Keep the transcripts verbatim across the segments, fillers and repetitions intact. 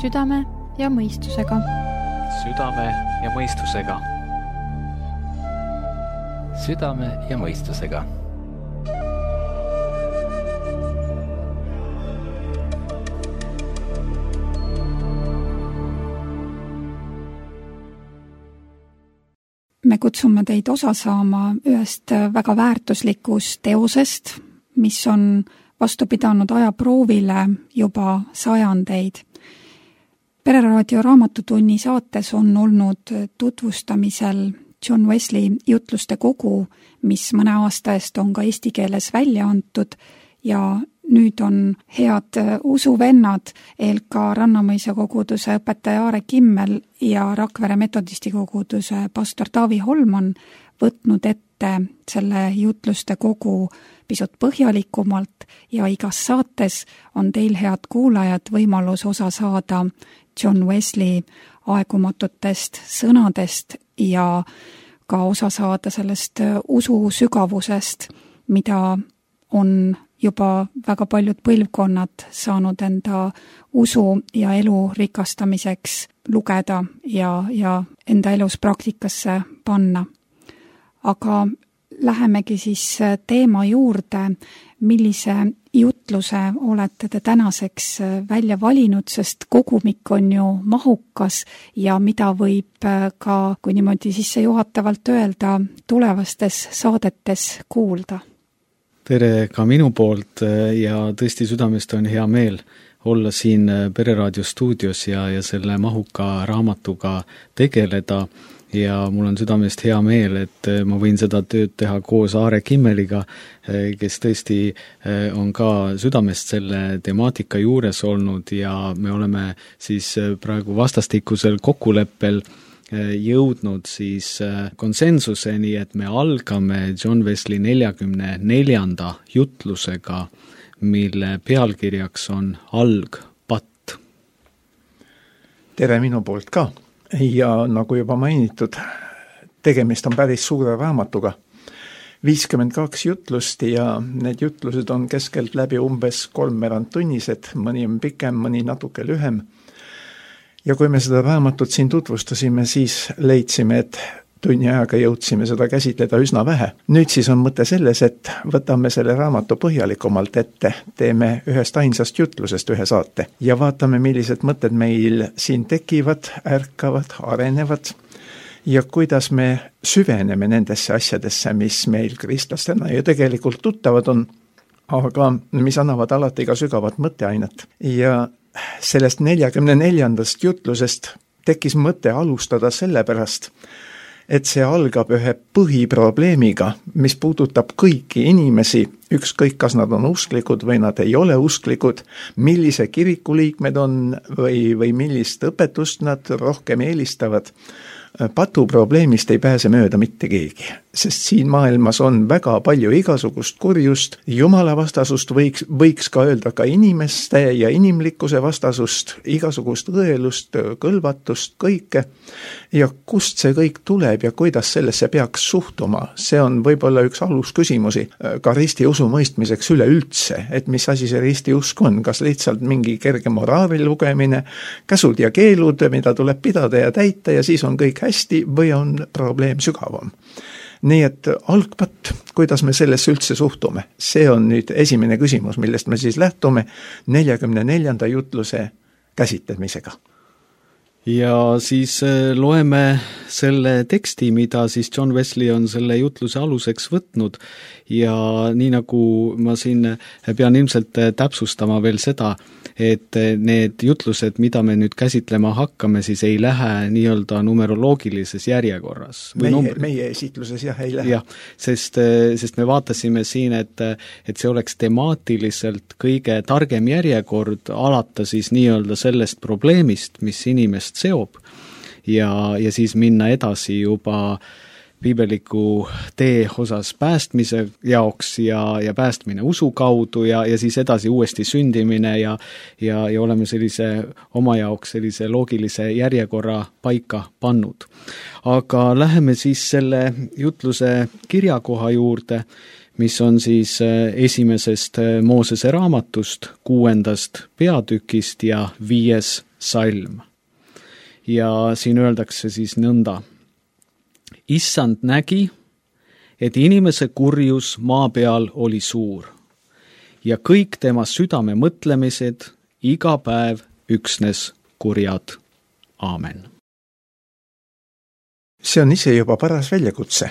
Südame ja mõistusega. Südame ja mõistusega. Südame ja mõistusega. Me kutsume teid osa saama ühest väga väärtuslikust teosest, mis on vastu pidanud ajaproovile juba sajandeid. Pereraadio raamatutunni saates on olnud tutvustamisel John Wesley jutluste kogu, mis mõne aasta eest on ka eesti keeles välja antud ja nüüd on head usuvennad E L K Rannamõisa koguduse õpetaja Aare Kimmel ja Rakvere metodisti koguduse pastor Taavi Holman võtnud ette selle jutluste kogu pisut põhjalikumalt ja igas saates on teil, head kuulajad, võimalus osa saada John Wesley aegumatutest sõnadest ja ka osa saada sellest usu sügavusest, mida on juba väga paljud põlvkonnad saanud enda usu ja elu rikastamiseks lugeda ja, ja enda elus praktikasse panna. Aga lähemegi siis teema juurde, millise jutluse olete te tänaseks välja valinud, sest kogumik on ju mahukas ja mida võib ka, kui niimoodi sissejuhatavalt öelda, tulevastes saadetes kuulda. Tere ka minu poolt ja tõesti südamest on hea meel olla siin Pereraadio stuudios ja, ja selle mahuka raamatuga tegeleda ja mul on südamest hea meel, et ma võin seda tööd teha koos Aare Kimmeliga, kes tõesti on ka südamest selle temaatika juures olnud ja me oleme siis praegu vastastikusel kokkuleppel jõudnud siis konsensuseni, et me algame John Wesley neljakümne neljanda jutlusega, mille pealkirjaks on Algpatt. Tere minu poolt ka ja nagu juba mainitud, tegemist on päris suure raamatuga. viiskümmend kaks jutlust ja need jutlused on keskelt läbi umbes kolmveerand tunnised, mõni on pikem, mõni natuke lühem. Ja kui me seda raamatut siin tutvustasime, siis leidsime, et tunni ajaga jõudsime seda käsitleda üsna vähe. Nüüd siis on mõte selles, et võtame selle raamatu põhjalikumalt ette, teeme ühest ainsast jutlusest ühe saate ja vaatame, millised mõtted meil siin tekivad, ärkavad, arenevad ja kuidas me süveneme nendesse asjadesse, mis meil kristlastena ju tegelikult tuttavad on, aga mis annavad alati ka sügavat mõtteainet. Ja sellest neljakümne neljandast jutlusest tekkis mõte alustada sellepärast, et see algab ühe põhiprobleemiga, mis puudutab kõiki inimesi, ükskõik kas nad on usklikud või nad ei ole usklikud, millise kiriku liikmed on või, või millist õpetust nad rohkem eelistavad. Patuprobleemist ei pääse mööda mitte keegi, sest siin maailmas on väga palju igasugust kurjust, jumala vastasust, võiks, võiks ka öelda ka inimeste ja inimlikkuse vastasust, igasugust õelust, kõlvatust, kõike. Ja kust see kõik tuleb ja kuidas sellesse peaks suhtuma, see on võib-olla üks alusküsimusi ka risti usu mõistmiseks üleüldse, et mis asi see risti usk on, kas lihtsalt mingi kerge moraali lugemine, käsud ja keelud, mida tuleb pidada ja täita ja siis on kõik hästi või on probleem sügavam. Nii et algpatt, kuidas me sellesse üldse suhtume, see on nüüd esimene küsimus, millest me siis lähtume neljakümne neljanda jutluse käsitlemisega. Ja siis loeme selle teksti, mida siis John Wesley on selle jutluse aluseks võtnud ja nii nagu ma siin pean ilmselt täpsustama veel seda, et need jutlused, mida me nüüd käsitlema hakkame, siis ei lähe nii-öelda numeroloogilises järjekorras. Meie, numbri... meie esitluses jah ei lähe. Jah, sest, sest me vaatasime siin, et, et see oleks temaatiliselt kõige targem järjekord alata siis nii-öelda sellest probleemist, mis inimest seob ja, ja siis minna edasi juba piibeliku tee osas päästmise jaoks ja, ja päästmine usu kaudu ja, ja siis edasi uuesti sündimine ja, ja, ja oleme sellise oma jaoks sellise loogilise järjekorra paika pannud. Aga läheme siis selle jutluse kirjakoha juurde, mis on siis esimesest Moosese raamatust, kuuendast peatükist ja viies salm. Ja siin öeldakse siis nõnda. Issand nägi, et inimese kurjus maa peal oli suur ja kõik tema südame mõtlemised iga päev üksnes kurjad. Aamen. See on ise juba paras väljakutse.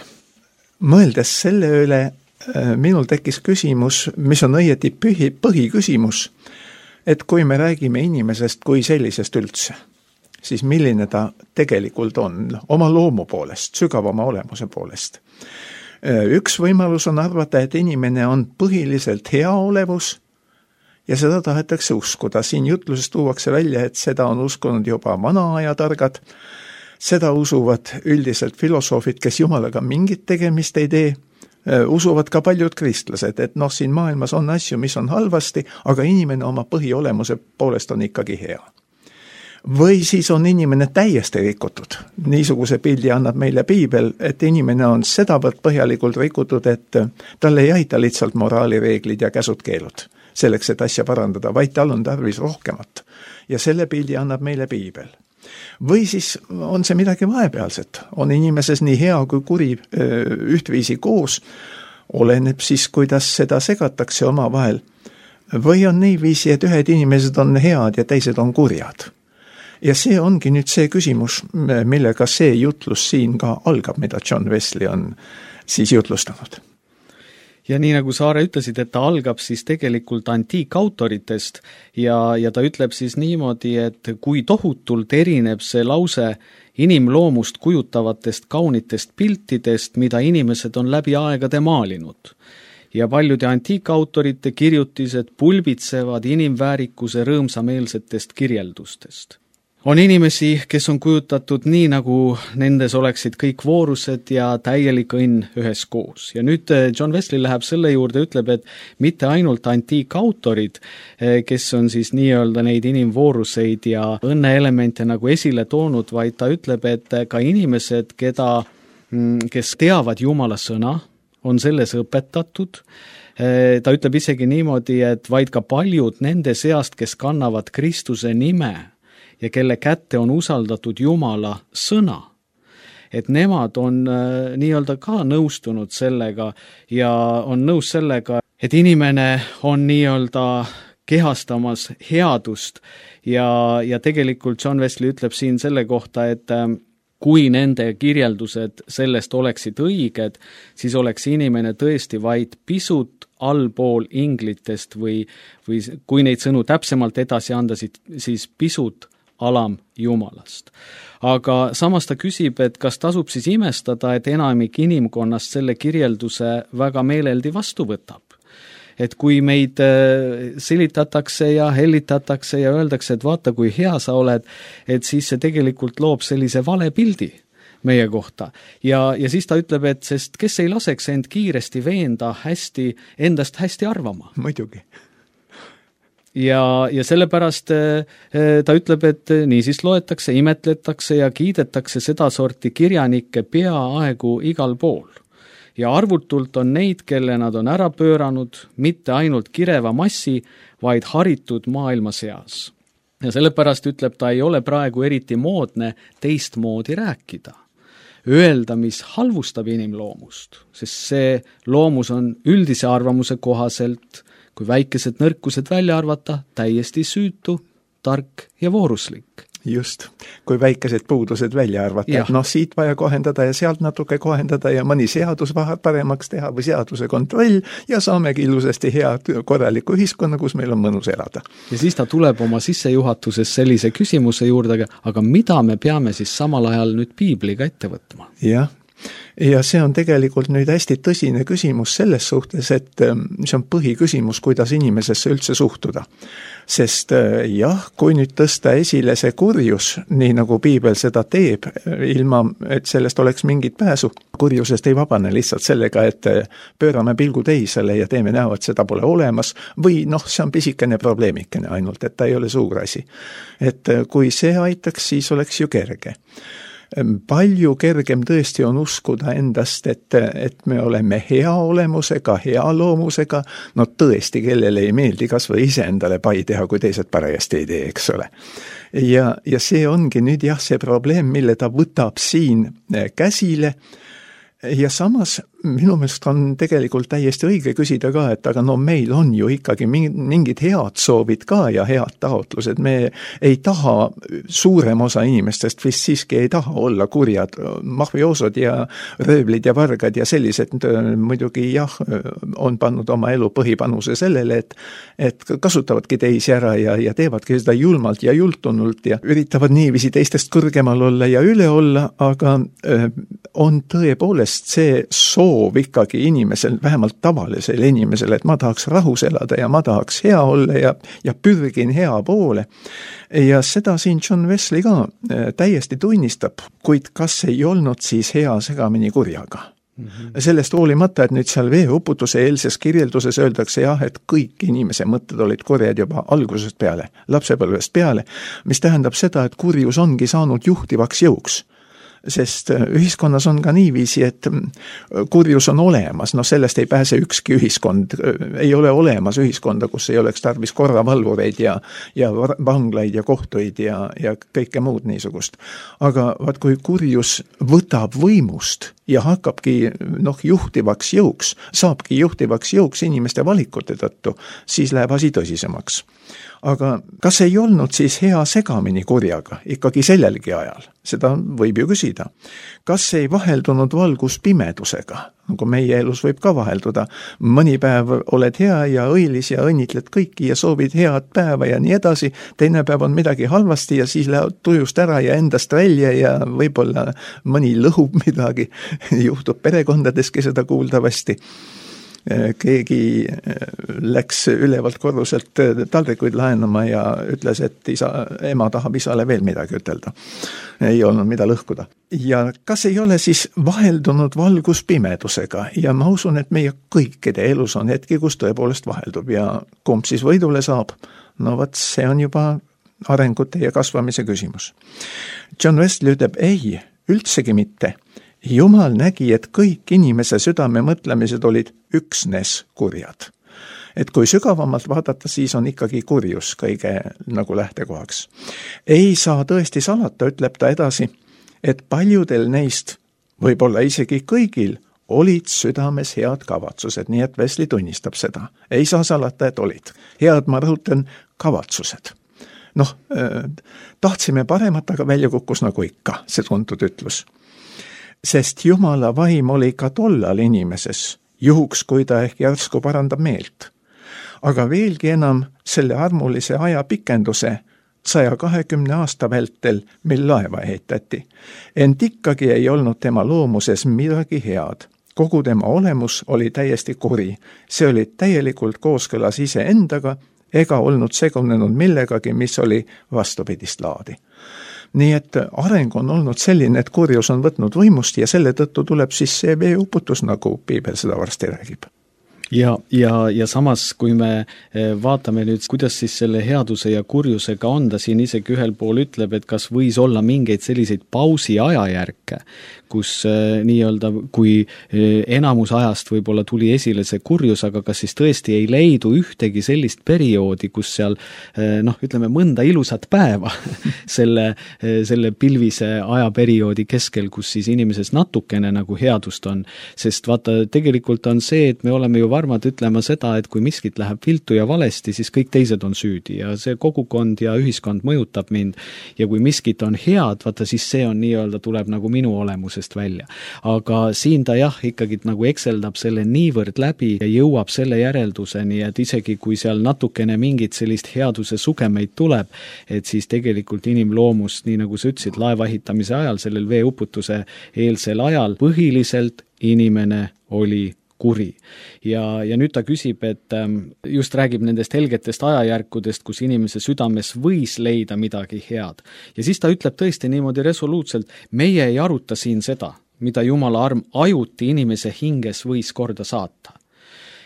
Mõeldes selle üle, minul tekkis küsimus, mis on õieti põhi, põhiküsimus, et kui me räägime inimesest kui sellisest üldse, siis milline ta tegelikult on oma loomu poolest, sügavama olemuse poolest. Üks võimalus on arvata, et inimene on põhiliselt hea olevus ja seda tahetakse uskuda. Siin jutluses tuuakse välja, et seda on uskunud juba vana aja targad, seda usuvad üldiselt filosoofid, kes Jumalaga mingit tegemist ei tee, usuvad ka paljud kristlased, et noh, siin maailmas on asju, mis on halvasti, aga inimene oma põhiolemuse poolest on ikkagi hea. Või siis on inimene täiesti rikutud. Niisuguse pildi annab meile Piibel, et inimene on sedavõrd põhjalikult rikutud, et talle ei aita lihtsalt moraalireeglid ja käsud-keelud selleks, et asja parandada, vaid tal on tarvis rohkemat. Ja selle pildi annab meile Piibel. Või siis on see midagi vahepealset. On inimeses nii hea kui kuri ühtviisi koos, oleneb siis, kuidas seda segatakse oma vahel. Või on niiviisi, et ühed inimesed on head ja teised on kurjad. Ja see ongi nüüd see küsimus, millega see jutlus siin ka algab, mida John Wesley on siis jutlustanud. Ja nii nagu Saare ütlesid, et ta algab siis tegelikult antiikautoritest ja, ja ta ütleb siis niimoodi, et kui tohutult erineb see lause inimloomust kujutavatest kaunitest piltidest, mida inimesed on läbi aegade maalinud. Ja paljude antiikautorite kirjutised pulbitsevad inimväärikuse rõõmsameelsetest kirjeldustest. On inimesi, kes on kujutatud nii, nagu nendes oleksid kõik voorused ja täielik õnn ühes koos. Ja nüüd John Wesley läheb selle juurde, ütleb, et mitte ainult antiikautorid, kes on siis nii-öelda neid inimvooruseid ja õnneelemente nagu esile toonud, vaid ta ütleb, et ka inimesed, keda, kes teavad Jumala sõna, on selles õpetatud. Ta ütleb isegi niimoodi, et vaid ka paljud nende seast, kes kannavad Kristuse nime, ja kelle kätte on usaldatud Jumala sõna, et nemad on äh, nii-öelda ka nõustunud sellega ja on nõus sellega, et inimene on nii-öelda kehastamas headust ja, ja tegelikult John Wesley ütleb siin selle kohta, et äh, kui nende kirjeldused sellest oleksid õiged, siis oleks inimene tõesti vaid pisut allpool inglitest või, või kui neid sõnu täpsemalt edasi anda, siis pisut alam Jumalast. Aga samas ta küsib, et kas tasub siis imestada, et enamik inimkonnast selle kirjelduse väga meeleldi vastu võtab. Et kui meid selitatakse ja hellitatakse ja öeldakse, et vaata, kui hea sa oled, et siis see tegelikult loob sellise vale pildi meie kohta. Ja, ja siis ta ütleb, et sest kes ei laseks end kiiresti veenda hästi, endast hästi arvama. Muidugi. Ja, ja sellepärast ta ütleb, et niisiis loetakse, imetletakse ja kiidetakse seda sorti kirjanikke peaaegu igal pool. Ja arvutult on neid, kelle nad on ära pööranud, mitte ainult kireva massi, vaid haritud maailma seas. Ja sellepärast ütleb, ta ei ole praegu eriti moodne teistmoodi rääkida. Öelda, mis halvustab inimloomust, sest see loomus on üldise arvamuse kohaselt kui väikesed nõrkused välja arvata, täiesti süütu, tark ja vooruslik. Just, kui väikesed puudused välja arvata, et noh, siit vaja kohendada ja sealt natuke kohendada ja mõni seadus paremaks teha või seaduse kontroll ja saamegi ilusasti hea korraliku ühiskonna, kus meil on mõnus elada. Ja siis ta tuleb oma sissejuhatuses sellise küsimuse juurde, aga mida me peame siis samal ajal nüüd Piibliga ette võtma? Jah. Ja see on tegelikult nüüd hästi tõsine küsimus selles suhtes, et see on põhiküsimus, kuidas inimesesse üldse suhtuda. Sest jah, kui nüüd tõsta esile see kurjus, nii nagu Piibel seda teeb, ilma et sellest oleks mingit pääsu, kurjusest ei vabane lihtsalt sellega, et pöörame pilgu teisele ja teeme näo, et seda pole olemas, või noh, see on pisikene probleemikene ainult, et ta ei ole suur asi. Et kui see aitaks, siis oleks ju kerge. palju kergem tõesti on uskuda endast, et, et me oleme hea olemusega, hea loomusega, no tõesti, kellele ei meeldi kas või ise endale pai teha, kui teised parajasti ei tee, eks ole. Ja, ja see ongi nüüd jah, see probleem, mille ta võtab siin käsile, ja samas minu meelest on tegelikult täiesti õige küsida ka, et aga no meil on ju ikkagi mingid head soovid ka ja head taotlused. Me ei taha, suurem osa inimestest vist siiski ei taha olla kurjad, mafioosod ja röövlid ja vargad ja sellised muidugi jah, on pannud oma elu põhipanuse sellele, et, et kasutavadki teisi ära ja, ja teevadki seda julmalt ja jultunult ja üritavad niiviisi teistest kõrgemal olla ja üle olla, aga on tõepoolest see soov ikkagi inimesel, vähemalt tavalisel inimesel, et ma tahaks rahus elada ja ma tahaks hea olla ja, ja pürgin hea poole. Ja seda siin John Wesley ka täiesti tunnistab, kuid kas ei olnud siis hea segamini kurjaga? Mm-hmm. Sellest hoolimata, et nüüd seal veeuputuse eelses kirjelduses öeldakse jah, et kõik inimese mõtted olid kurjad juba algusest peale, lapsepõlvest peale, mis tähendab seda, et kurjus ongi saanud juhtivaks jõuks. Sest ühiskonnas on ka niiviisi, et kurjus on olemas, no sellest ei pääse ükski ühiskond, ei ole olemas ühiskonda, kus ei oleks tarvis korravalvureid ja, ja vanglaid ja kohtuid ja, ja kõike muud niisugust. Aga vaat kui kurjus võtab võimust ja hakkabki noh, juhtivaks jõuks, saabki juhtivaks jõuks inimeste valikute tõttu, siis läheb asi tõsisemaks. Aga kas ei olnud siis hea segamini kurjaga ikkagi sellelgi ajal? Seda võib ju küsida. Kas ei vaheldunud valgus pimedusega? Nagu meie elus võib ka vahelduda. Mõni päev oled hea ja õilis ja õnnitled kõiki ja soovid head päeva ja nii edasi. Teine päev on midagi halvasti ja siis läheb tujust ära ja endast välja ja võib-olla mõni lõhub midagi. Juhtub perekondades,ki seda kuuldavasti. Keegi läks ülevalt korruselt taldrikuid laenama ja ütles, et isa, ema tahab isale veel midagi ütelda. Ei olnud mida lõhkuda. Ja kas ei ole siis vaheldunud valgus pimedusega? Ja ma usun, et meie kõikide elus on hetki, kus tõepoolest vaheldub ja kumb siis võidule saab? No vat, see on juba arengute ja kasvamise küsimus. John Wesley ütleb, ei, üldsegi mitte. Jumal nägi, et kõik inimese südame mõtlemised olid üksnes kurjad. Et kui sügavamalt vaadata, siis on ikkagi kurjus kõige nagu lähtekohaks. Ei saa tõesti salata, ütleb ta edasi, et paljudel neist, võib-olla isegi kõigil, olid südames head kavatsused, nii et Wesley tunnistab seda. Ei saa salata, et olid. Head, ma rõhutan, kavatsused. Noh, tahtsime paremat, aga välja kukkus nagu ikka, see tuntud ütlus. Sest Jumala vaim oli ka tollal inimeses, juhuks kui ta ehk järsku parandab meelt. Aga veelgi enam selle armulise aja pikenduse saja kahekümne aasta vältel, mil laeva ehitati. Ent ikkagi ei olnud tema loomuses midagi head. Kogu tema olemus oli täiesti kuri. See oli täielikult kooskõlas ise endaga ega olnud segunenud millegagi, mis oli vastupidist laadi. Nii et areng on olnud selline, et kurjus on võtnud võimust ja selle tõttu tuleb siis see veeuputus, nagu Piibel seda varsti räägib. Ja, ja, ja samas, kui me vaatame nüüd, kuidas siis selle headuse ja kurjusega on, ta siin isegi ühel pool ütleb, et kas võis olla mingeid selliseid pausi ajajärke, kus nii-öelda, kui enamus ajast võib-olla tuli esile see kurjus, aga kas siis tõesti ei leidu ühtegi sellist perioodi, kus seal, noh, ütleme, mõnda ilusat päeva selle, selle pilvise ajaperioodi keskel, kus siis inimeses natukene nagu headust on. Sest vaata, tegelikult on see, et me oleme ju varmad ütlema seda, et kui miskit läheb viltu ja valesti, siis kõik teised on süüdi ja see kogukond ja ühiskond mõjutab mind. Ja kui miskit on head, vaata, siis see on nii-öelda tuleb nagu minu olemusest välja. Aga siin ta jah, ikkagi nagu ekseldab selle niivõrd läbi ja jõuab selle järelduseni, et isegi kui seal natukene mingit sellist headuse sugemeid tuleb, et siis tegelikult inimloomust, nii nagu sa ütlesid, laeva ehitamise ajal, sellel veeuputuse eelsel ajal, põhiliselt inimene oli kuri. Ja, ja nüüd ta küsib, et just räägib nendest helgetest ajajärkudest, kus inimese südames võis leida midagi head. Ja siis ta ütleb tõesti niimoodi resoluutselt, meie ei aruta siin seda, mida Jumala arm ajuti inimese hinges võis korda saata.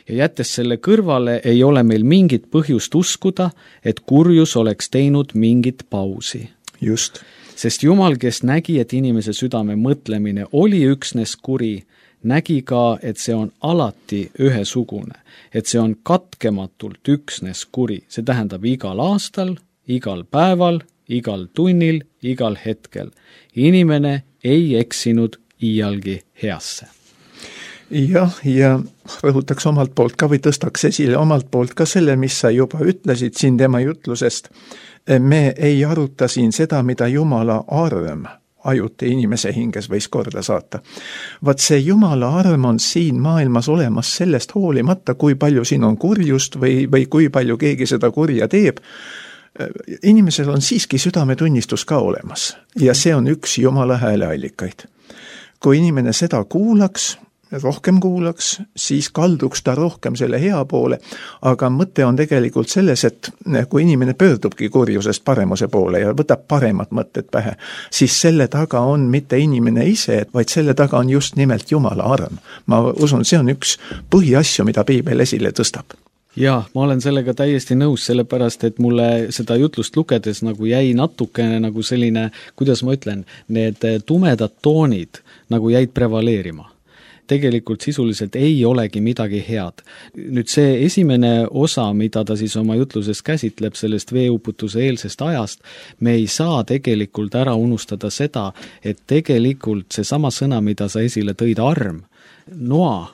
Ja jättes selle kõrvale ei ole meil mingit põhjust uskuda, et kurjus oleks teinud mingit pausi. Just. Sest Jumal, kes nägi, et inimese südame mõtlemine oli üksnes kuri, nägi ka, et see on alati ühesugune, et see on katkematult üksnes kuri. See tähendab igal aastal, igal päeval, igal tunnil, igal hetkel. Inimene ei eksinud iialgi heasse. Jah, ja rõhutaks omalt poolt ka või tõstaks esile omalt poolt ka selle, mis sa juba ütlesid siin tema jutlusest. Me ei aruta siin seda, mida Jumala arm ajuti inimese hinges võis korda saata. Vaat see Jumala arm on siin maailmas olemas sellest hoolimata, kui palju siin on kurjust või, või kui palju keegi seda kurja teeb. Inimesel on siiski südametunnistus ka olemas ja see on üks Jumala hääleallikaid. Kui inimene seda kuulaks, rohkem kuulaks, siis kalduks ta rohkem selle hea poole, aga mõte on tegelikult selles, et kui inimene pöördubki kurjusest paremuse poole ja võtab paremad mõtted pähe, siis selle taga on mitte inimene ise, vaid selle taga on just nimelt Jumala arm. Ma usun, see on üks põhiasju, mida Piibel esile tõstab. Jaa, ma olen sellega täiesti nõus, sellepärast, et mulle seda jutlust lugedes nagu jäi natukene nagu selline, kuidas ma ütlen, need tumedad toonid nagu jäid prevaleerima. Tegelikult sisuliselt ei olegi midagi head. Nüüd see esimene osa, mida ta siis oma jutluses käsitleb sellest veeuputuse eelsest ajast, me ei saa tegelikult ära unustada seda, et tegelikult see sama sõna, mida sa esile tõid, arm, Noa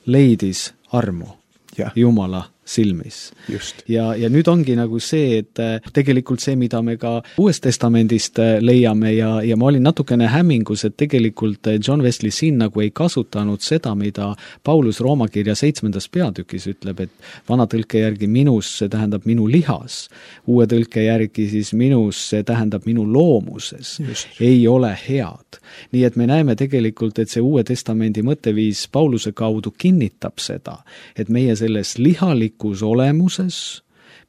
leidis armu ja. Jumala silmis. Just. Ja, ja nüüd ongi nagu see, et tegelikult see, mida me ka Uuest Testamendist leiame ja, ja ma olin natukene hämmingus, et tegelikult John Wesley siin nagu ei kasutanud seda, mida Paulus Rooma kirja seitsmendas peatükis ütleb, et vana tõlke järgi minus, see tähendab minu lihas, uue tõlke järgi siis minus, see tähendab minu loomuses, Just. ei ole head. Nii et me näeme tegelikult, et see Uue Testamendi mõtteviis Pauluse kaudu kinnitab seda, et meie selles lihalik olemuses,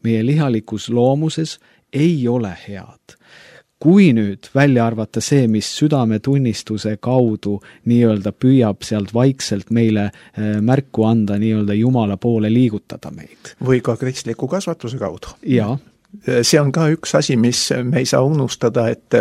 meie lihalikus loomuses ei ole head. Kui nüüd välja arvata see, mis südametunnistuse kaudu nii-öelda püüab sealt vaikselt meile märku anda, nii-öelda Jumala poole liigutada meid. Või ka kristliku kasvatuse kaudu. Jaa. See on ka üks asi, mis me ei saa unustada, et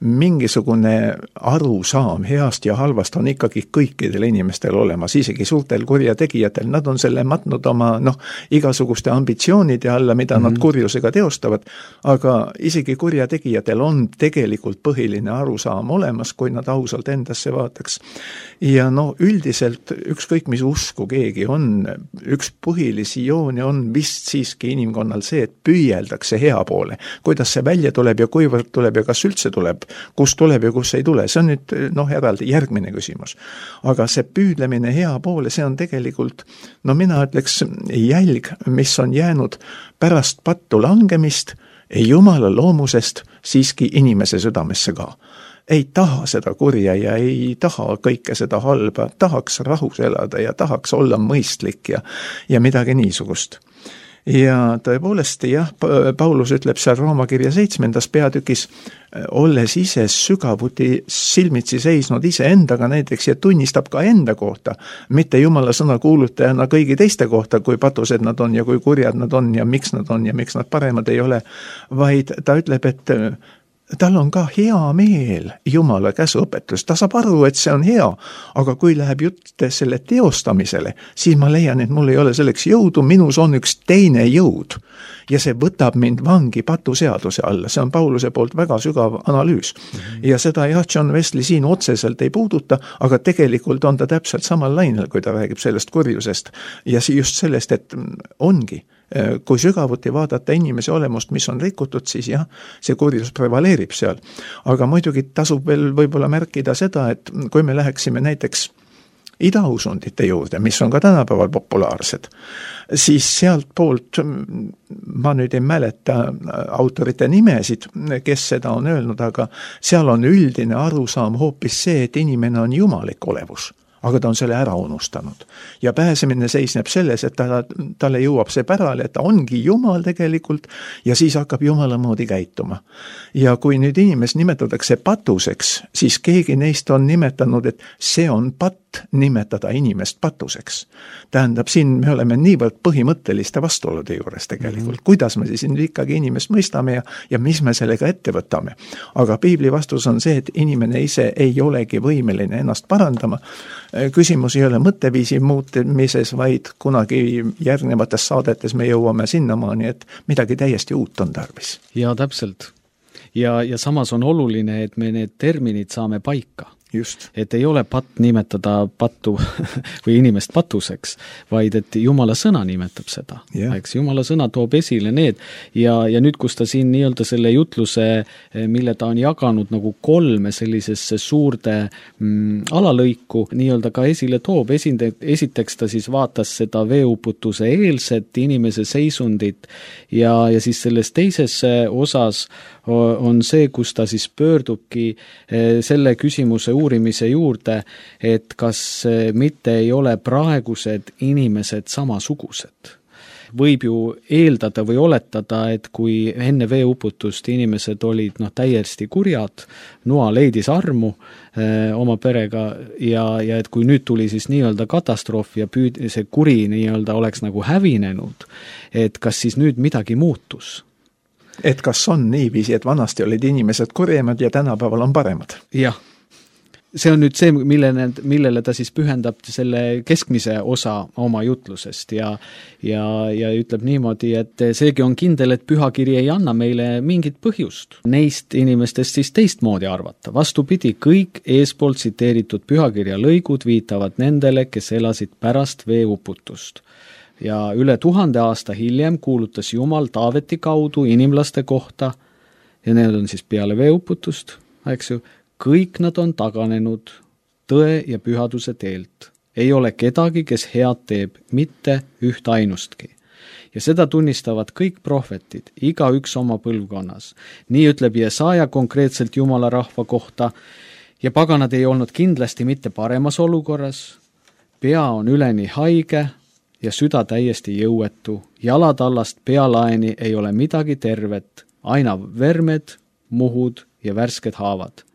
mingisugune arusaam heast ja halvast on ikkagi kõikidel inimestel olemas, isegi suurtel kurjategijatel. Nad on selle matnud oma noh, igasuguste ambitsioonide alla, mida mm-hmm. nad kurjusega teostavad, aga isegi kurjategijatel on tegelikult põhiline arusaam olemas, kui nad ausalt endasse vaataks. Ja no üldiselt ükskõik mis usku keegi on, üks põhilisi jooni on vist siiski inimkonnal see, et püüelda see hea poole. Kuidas see välja tuleb ja kuivõrd tuleb ja kas üldse tuleb, kus tuleb ja kus ei tule. See on nüüd noh, eraldi järgmine küsimus. Aga see püüdlemine hea poole, see on tegelikult, no mina ütleks jälg, mis on jäänud pärast pattu langemist Jumala loomusest siiski inimese südamesse ka. Ei taha seda kurja ja ei taha kõike seda halba, tahaks rahus elada ja tahaks olla mõistlik ja, ja midagi niisugust. Ja tõepoolest, jah, Paulus ütleb seal Rooma kirja seitsmendas peatükis, olles ise sügavuti silmitsi seisnud ise endaga näiteks ja tunnistab ka enda kohta, mitte Jumala sõna kuulutajana kõigi teiste kohta, kui patused nad on ja kui kurjad nad on ja miks nad on ja miks nad paremad ei ole, vaid ta ütleb, et tal on ka hea meel Jumala käsuõpetus, ta saab aru, et see on hea, aga kui läheb jutt selle teostamisele, siis ma leian, et mul ei ole selleks jõudu, minus on üks teine jõud ja see võtab mind vangi patuseaduse alla, see on Pauluse poolt väga sügav analüüs mm-hmm. ja seda jah, John Wesley siin otseselt ei puuduta, aga tegelikult on ta täpselt samal lainel, kui ta räägib sellest kurjusest ja just sellest, et ongi kui sügavuti vaadata inimese olemust, mis on rikutud, siis jah, see kurjus prevaleerib seal. Aga muidugi tasub veel võib-olla märkida seda, et kui me läheksime näiteks idausundite juurde, mis on ka tänapäeval populaarsed, siis sealt poolt, ma nüüd ei mäleta autorite nimesid, kes seda on öelnud, aga seal on üldine arusaam hoopis see, et inimene on jumalik olevus. Aga ta on selle ära unustanud. Ja pääsemine seisneb selles, et ta, talle jõuab see pärale, et ta ongi Jumal tegelikult ja siis hakkab Jumala moodi käituma. Ja kui nüüd inimest nimetatakse patuseks, siis keegi neist on nimetanud, et see on patt nimetada inimest patuseks. Tähendab, siin me oleme niivõrd põhimõtteliste vastuolude juures tegelikult. Mm-hmm. Kuidas me siis ikkagi inimest mõistame ja, ja mis me sellega ette võtame. Aga piibli vastus on see, et inimene ise ei olegi võimeline ennast parandama. Küsimus ei ole mõtteviisi muutmises, vaid kunagi järgnevates saadetes me jõuame sinnamaani, et midagi täiesti uut on tarvis. Ja täpselt. Ja, ja samas on oluline, et me need terminid saame paika. Just. Et ei ole patt nimetada pattu või inimest patuseks, vaid et Jumala sõna nimetab seda. Yeah. Eks Jumala sõna toob esile need ja, ja nüüd, kus ta siin nii-öelda selle jutluse, mille ta on jaganud nagu kolme sellisesse suurde mm, alalõiku, nii-öelda ka esile toob. Esinde, esiteks ta siis vaatas seda veeuputuse eelset inimese seisundit ja, ja siis selles teises osas on see, kus ta siis pöördubki selle küsimuse uurimise juurde, et kas mitte ei ole praegused inimesed samasugused. Võib ju eeldada või oletada, et kui enne veeuputust inimesed olid noh, täiesti kurjad, Noa leidis armu eh, oma perega ja, ja et kui nüüd tuli siis nii-öelda katastroof ja püüd, see kuri nii-öelda oleks nagu hävinenud, et kas siis nüüd midagi muutus? Et kas on niiviisi, et vanasti olid inimesed kurjemad ja tänapäeval on paremad? Jah. See on nüüd see, millele, millele ta siis pühendab selle keskmise osa oma jutlusest ja, ja, ja ütleb niimoodi, et seegi on kindel, et pühakiri ei anna meile mingit põhjust neist inimestest siis teistmoodi arvata. Vastupidi, kõik eespool tsiteeritud pühakirja lõigud viitavad nendele, kes elasid pärast veeuputust. Ja üle tuhande aasta hiljem kuulutas Jumal Taaveti kaudu inimlaste kohta ja need on siis peale veeuputust, eks ju, kõik nad on taganenud tõe ja pühaduse teelt. Ei ole kedagi, kes head teeb, mitte üht ainustki. Ja seda tunnistavad kõik prohvetid, iga üks oma põlvkonnas. Nii ütleb Jesaja konkreetselt Jumala rahva kohta ja paganad ei olnud kindlasti mitte paremas olukorras. Pea on üleni haige ja süda täiesti jõuetu. Jalad allast pealaeni ei ole midagi tervet, aina vermed, muhud ja värsked haavad.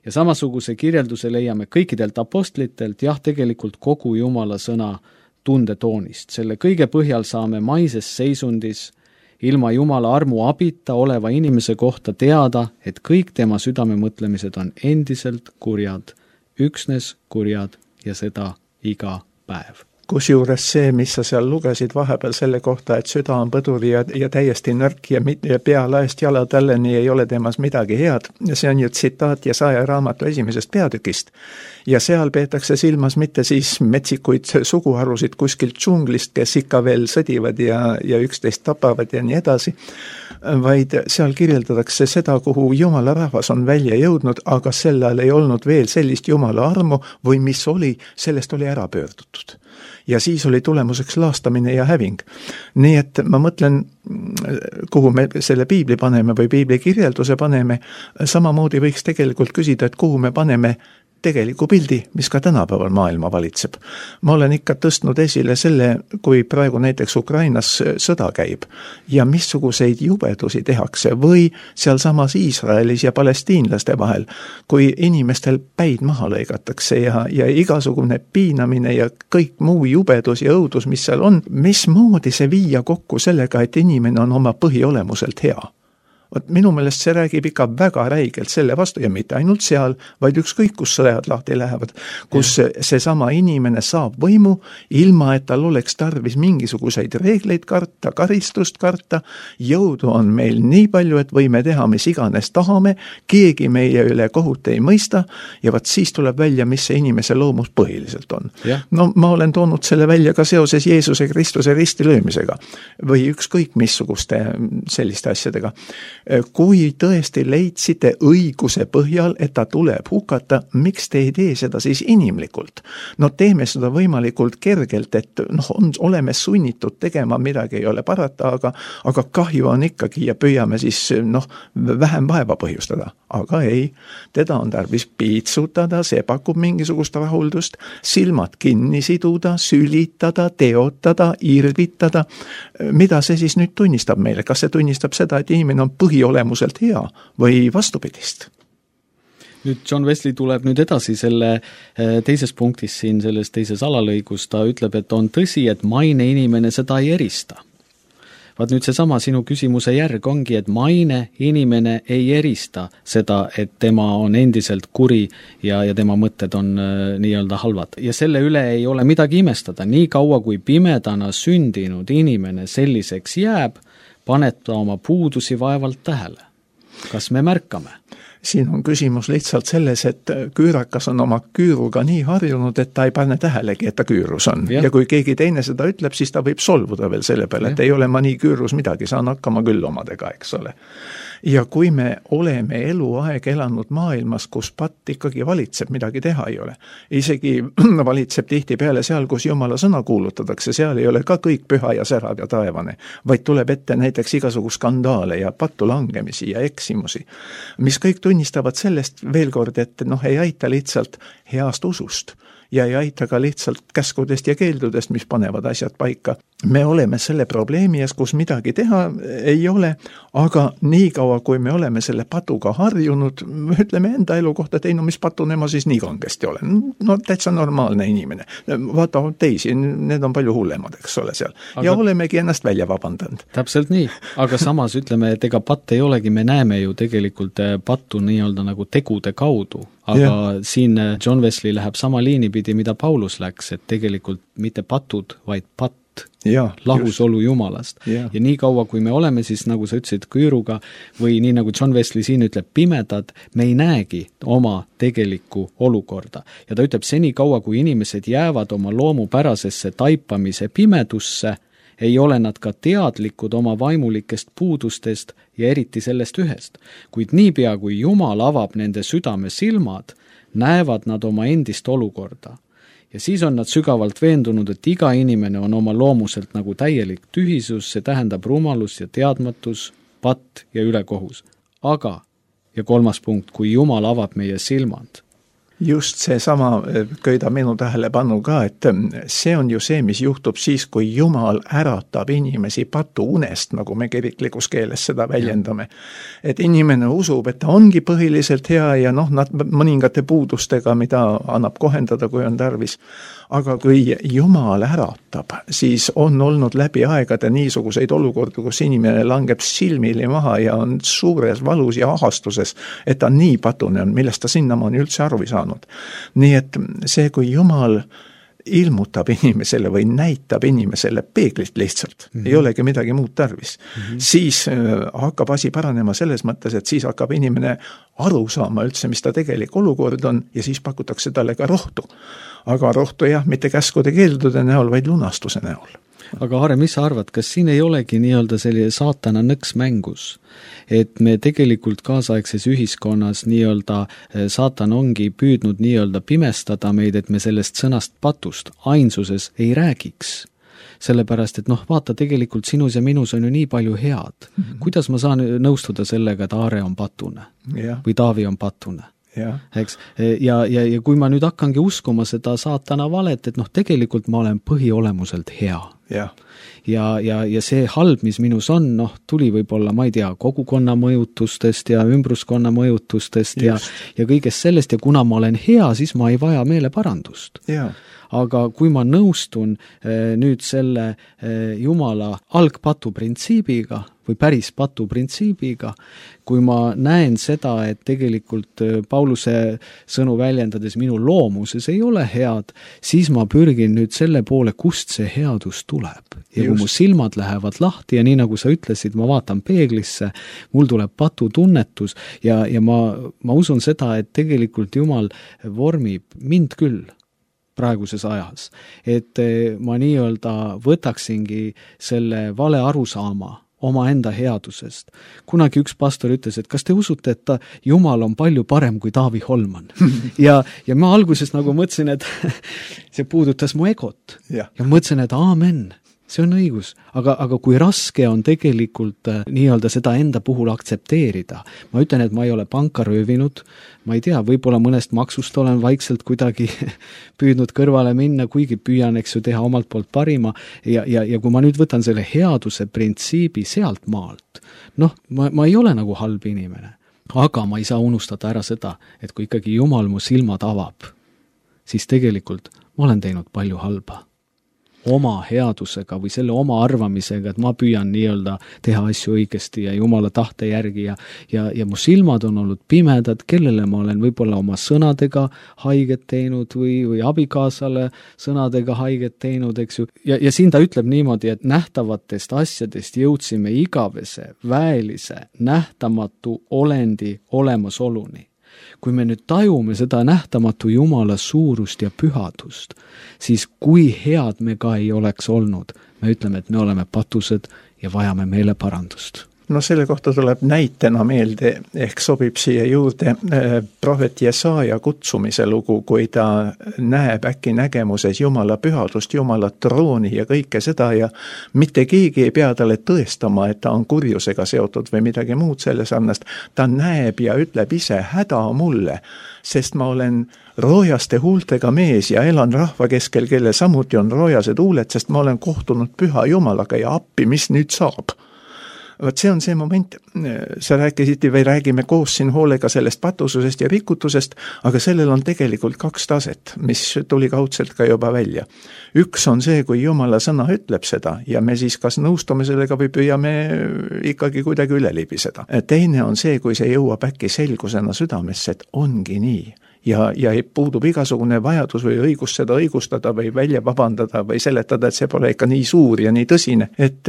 Ja samasuguse kirjelduse leiame kõikidelt apostlitelt, jah, tegelikult kogu Jumala sõna tundetoonist. Selle kõige põhjal saame maises seisundis ilma Jumala armu abita oleva inimese kohta teada, et kõik tema südame mõtlemised on endiselt kurjad, üksnes kurjad ja seda iga päev. Kusjuures see, mis sa seal lugesid vahepeal selle kohta, et süda on põduri ja, ja täiesti nõrk ja, ja pealaest jala tälleni ei ole temas midagi head. Ja see on ju tsitaat Jesaja raamatu esimesest peatükist. Ja seal peetakse silmas mitte siis metsikuid suguharusid kuskilt džunglist, kes ikka veel sõdivad ja, ja üksteist tapavad ja nii edasi, vaid seal kirjeldatakse seda, kuhu Jumala rahvas on välja jõudnud, aga sellel ei olnud veel sellist Jumala armu või mis oli, sellest oli ära pöördutud. Ja siis oli tulemuseks laastamine ja häving. Nii et ma mõtlen, kuhu me selle piibli paneme või piibli kirjelduse paneme, samamoodi võiks tegelikult küsida, et kuhu me paneme tegeliku pildi, mis ka tänapäeval maailma valitseb. Ma olen ikka tõstnud esile selle, kui praegu näiteks Ukrainas sõda käib ja missuguseid jubedusi tehakse või seal samas Iisraelis ja palestiinlaste vahel, kui inimestel päid maha lõigatakse ja, ja igasugune piinamine ja kõik muu jubedus ja õudus, mis seal on, mismoodi see viia kokku sellega, et inimene on oma põhiolemuselt hea. Võt, minu meelest see räägib ikka väga räigelt selle vastu ja mitte ainult seal, vaid ükskõik, kus sõjad lahti lähevad, kus ja. see sama inimene saab võimu, ilma et tal oleks tarvis mingisuguseid reegleid karta, karistust karta, jõudu on meil nii palju, et võime teha, mis iganes tahame, keegi meie üle kohut ei mõista ja vaat siis tuleb välja, mis see inimese loomus põhiliselt on. Ja. No ma olen toonud selle välja ka seoses Jeesuse Kristuse ristilöömisega või ükskõik missuguste selliste asjadega. Kui tõesti leidsite õiguse põhjal, et ta tuleb hukata, miks te ei tee seda siis inimlikult? No teeme seda võimalikult kergelt, et noh, on, oleme sunnitud tegema, midagi ei ole parata, aga, aga kahju on ikkagi ja püüame siis noh, vähem vaeva põhjustada. Aga ei, teda on tarvis piitsutada, see pakub mingisugust rahuldust, silmad kinni siduda, sülitada, teotada, irvitada. Mida see siis nüüd tunnistab meile? Kas see tunnistab seda, et inimene on põhiolemuselt hea või vastupidist? nüüd John Wesley tuleb nüüd edasi selle teises punktis siin, selles teises alalõigus, ta ütleb, et on tõsi, et maine inimene seda ei erista. Vaat nüüd seesama sinu küsimuse järg ongi, et maine inimene ei erista seda, et tema on endiselt kuri ja, ja tema mõtted on äh, nii-öelda halvad. Ja selle üle ei ole midagi imestada. Nii kaua, kui pimedana sündinud inimene selliseks jääb, paneb ta oma puudusi vaevalt tähele. Kas me märkame? Siin on küsimus lihtsalt selles, et küürakas on oma küüruga nii harjunud, et ta ei pane tähelegi, et ta küürus on. Ja, ja kui keegi teine seda ütleb, siis ta võib solvuda veel selle peale, et ei ole ma nii küürus midagi, saan hakkama küll omadega, eks ole. Ja kui me oleme eluaeg elanud maailmas, kus patt ikkagi valitseb, midagi teha ei ole. Isegi valitseb tihti peale seal, kus Jumala sõna kuulutatakse, seal ei ole ka kõik püha ja särav ja taevane, vaid tuleb ette näiteks igasugu skandaale ja pattu langemisi ja eksimusi, mis kõik tunnistavad sellest veel kord, et noh, ei aita lihtsalt heast usust ja ei aita ka lihtsalt käskudest ja keeldudest, mis panevad asjad paika. Me oleme selle probleemi ees, kus midagi teha ei ole, aga nii kaua, kui me oleme selle patuga harjunud, ütleme enda elu kohta, et ei, no mis patune ma siis nii kangesti olen. No täitsa normaalne inimene. Vaata teisi, need on palju hullemad, eks ole seal. Aga... ja olemegi ennast välja vabandanud. Täpselt nii, aga samas ütleme, et ega patt ei olegi, me näeme ju tegelikult pattu nii-öelda nagu tegude kaudu. Aga ja. Siin John Wesley läheb sama liini pidi, mida Paulus läks, et tegelikult mitte patud, vaid patt, ja, lahusolu just. Jumalast. Ja. ja nii kaua, kui me oleme siis, nagu sa ütlesid, küüruga või nii nagu John Wesley siin ütleb, pimedad, me ei näegi oma tegelikku olukorda. Ja ta ütleb, seni kaua, kui inimesed jäävad oma loomupärasesse taipamise pimedusse, ei ole nad ka teadlikud oma vaimulikest puudustest ja eriti sellest ühest. Kuid niipea, kui Jumal avab nende südame silmad, näevad nad oma endist olukorda. Ja siis on nad sügavalt veendunud, et iga inimene on oma loomuselt nagu täielik tühisus, see tähendab rumalus ja teadmatus, patt ja ülekohus. Aga, ja kolmas punkt, kui Jumal avab meie silmad, just see sama köida minu tähelepanu ka, et see on ju see, mis juhtub siis, kui Jumal äratab inimesi patu unest, nagu me kiriklikus keeles seda väljendame. Et inimene usub, et ta ongi põhiliselt hea ja noh, nad mõningate puudustega, mida annab kohendada, kui on tarvis. Aga kui Jumal äratab, siis on olnud läbi aegade niisuguseid olukordi, kus inimene langeb silmili maha ja on suures valus ja ahastuses, et ta nii patune on, millest ta sinnamaani üldse aru ei saanud. Nii et see, kui Jumal ilmutab inimesele või näitab inimesele peeglit lihtsalt, mm-hmm. ei olegi midagi muud tarvis, mm-hmm. siis hakkab asi paranema selles mõttes, et siis hakkab inimene aru saama üldse, mis ta tegelik olukord on ja siis pakutakse talle ka rohtu. Aga rohtu jah, mitte käskude keeldude näol, vaid lunastuse näol. Aga Aare, mis sa arvad, kas siin ei olegi nii-öelda selline saatana nõks mängus, et me tegelikult kaasaegses ühiskonnas nii-öelda saatan ongi püüdnud nii-öelda pimestada meid, et me sellest sõnast patust ainsuses ei räägiks? Sellepärast, et noh, vaata, tegelikult sinus ja minus on ju nii palju head. Mm-hmm. Kuidas ma saan nõustuda sellega, et Aare on patune ja. Või Taavi on patune? Ja. Eks? Ja, ja, ja kui ma nüüd hakkangi uskuma seda saatana valet, et noh, tegelikult ma olen põhiolemuselt hea. Ja. Ja, ja, ja see halb, mis minus on, noh, tuli võib-olla, ma ei tea, kogukonna mõjutustest ja ümbruskonna mõjutustest ja, ja kõigest sellest ja kuna ma olen hea, siis ma ei vaja meeleparandust. Ja. Aga kui ma nõustun eh, nüüd selle eh, Jumala algpatu printsiibiga või päris patu printsiibiga, kui ma näen seda, et tegelikult eh, Pauluse sõnu väljendades minu loomuses ei ole head, siis ma pürgin nüüd selle poole, kust see headus tuleb. Ja Just. Kui mu silmad lähevad lahti ja nii nagu sa ütlesid, ma vaatan peeglisse, mul tuleb patu tunnetus ja, ja ma, ma usun seda, et tegelikult Jumal vormib mind küll praeguses ajas, et ma nii-öelda võtaksingi selle vale arusaama oma enda headusest. Kunagi üks pastor ütles, et kas te usute, et ta, Jumal on palju parem kui Taavi Holman? ja, ja ma alguses nagu mõtlesin, et see puudutas mu egot ja, ja mõtlesin, et aamen, see on õigus, aga, aga kui raske on tegelikult äh, nii-öelda seda enda puhul aktsepteerida. Ma ütlen, et ma ei ole panka röövinud, ma ei tea, võib-olla mõnest maksust olen vaikselt kuidagi püüdnud kõrvale minna, kuigi püüan, eks ju, teha omalt poolt parima ja, ja, ja kui ma nüüd võtan selle headuse printsiibi sealt maalt, noh, ma, ma ei ole nagu halb inimene. aga ma ei saa unustada ära seda, et kui ikkagi Jumal mu silmad avab, siis tegelikult ma olen teinud palju halba. Oma headusega või selle oma arvamisega, et ma püüan nii-öelda teha asju õigesti ja Jumala tahte järgi ja, ja, ja mu silmad on olnud pimedad, kellele ma olen võib-olla oma sõnadega haiget teinud või, või abikaasale sõnadega haiget teinud, eks ju. Ja, ja siin ta ütleb niimoodi, et nähtavatest asjadest jõudsime igavese, väelise, nähtamatu olendi olemasoluni. Kui me nüüd tajume seda nähtamatu Jumala suurust ja pühadust, siis kui head me ka ei oleks olnud, me ütleme, et me oleme patused ja vajame meele parandust. No selle kohta tuleb näitena meelde, ehk sobib siia juurde äh, prohvet Jesaja kutsumise lugu, kui ta näeb äkki nägemuses Jumala pühadust, Jumala trooni ja kõike seda ja mitte keegi ei pea talle tõestama, et ta on kurjusega seotud või midagi muud selle sarnast. Ta näeb ja ütleb ise, häda mulle, sest ma olen roojaste huultega mees ja elan rahva keskel, kelle samuti on roojased huuled, sest ma olen kohtunud püha Jumalaga ja appi, mis nüüd saab. Vaat see on see moment, sa rääkisid või räägime koos siin hoolega sellest patususest ja rikutusest, aga sellel on tegelikult kaks taset, mis tuli kaudselt ka juba välja. Üks on see, kui Jumala sõna ütleb seda ja me siis kas nõustume sellega või püüame ikkagi kuidagi üle libiseda. Teine on see, kui see jõuab äkki selgusena südamesse, et ongi nii. Ja, ja puudub igasugune vajadus või õigus seda õigustada või välja vabandada või seletada, et see pole ikka nii suur ja nii tõsine. Et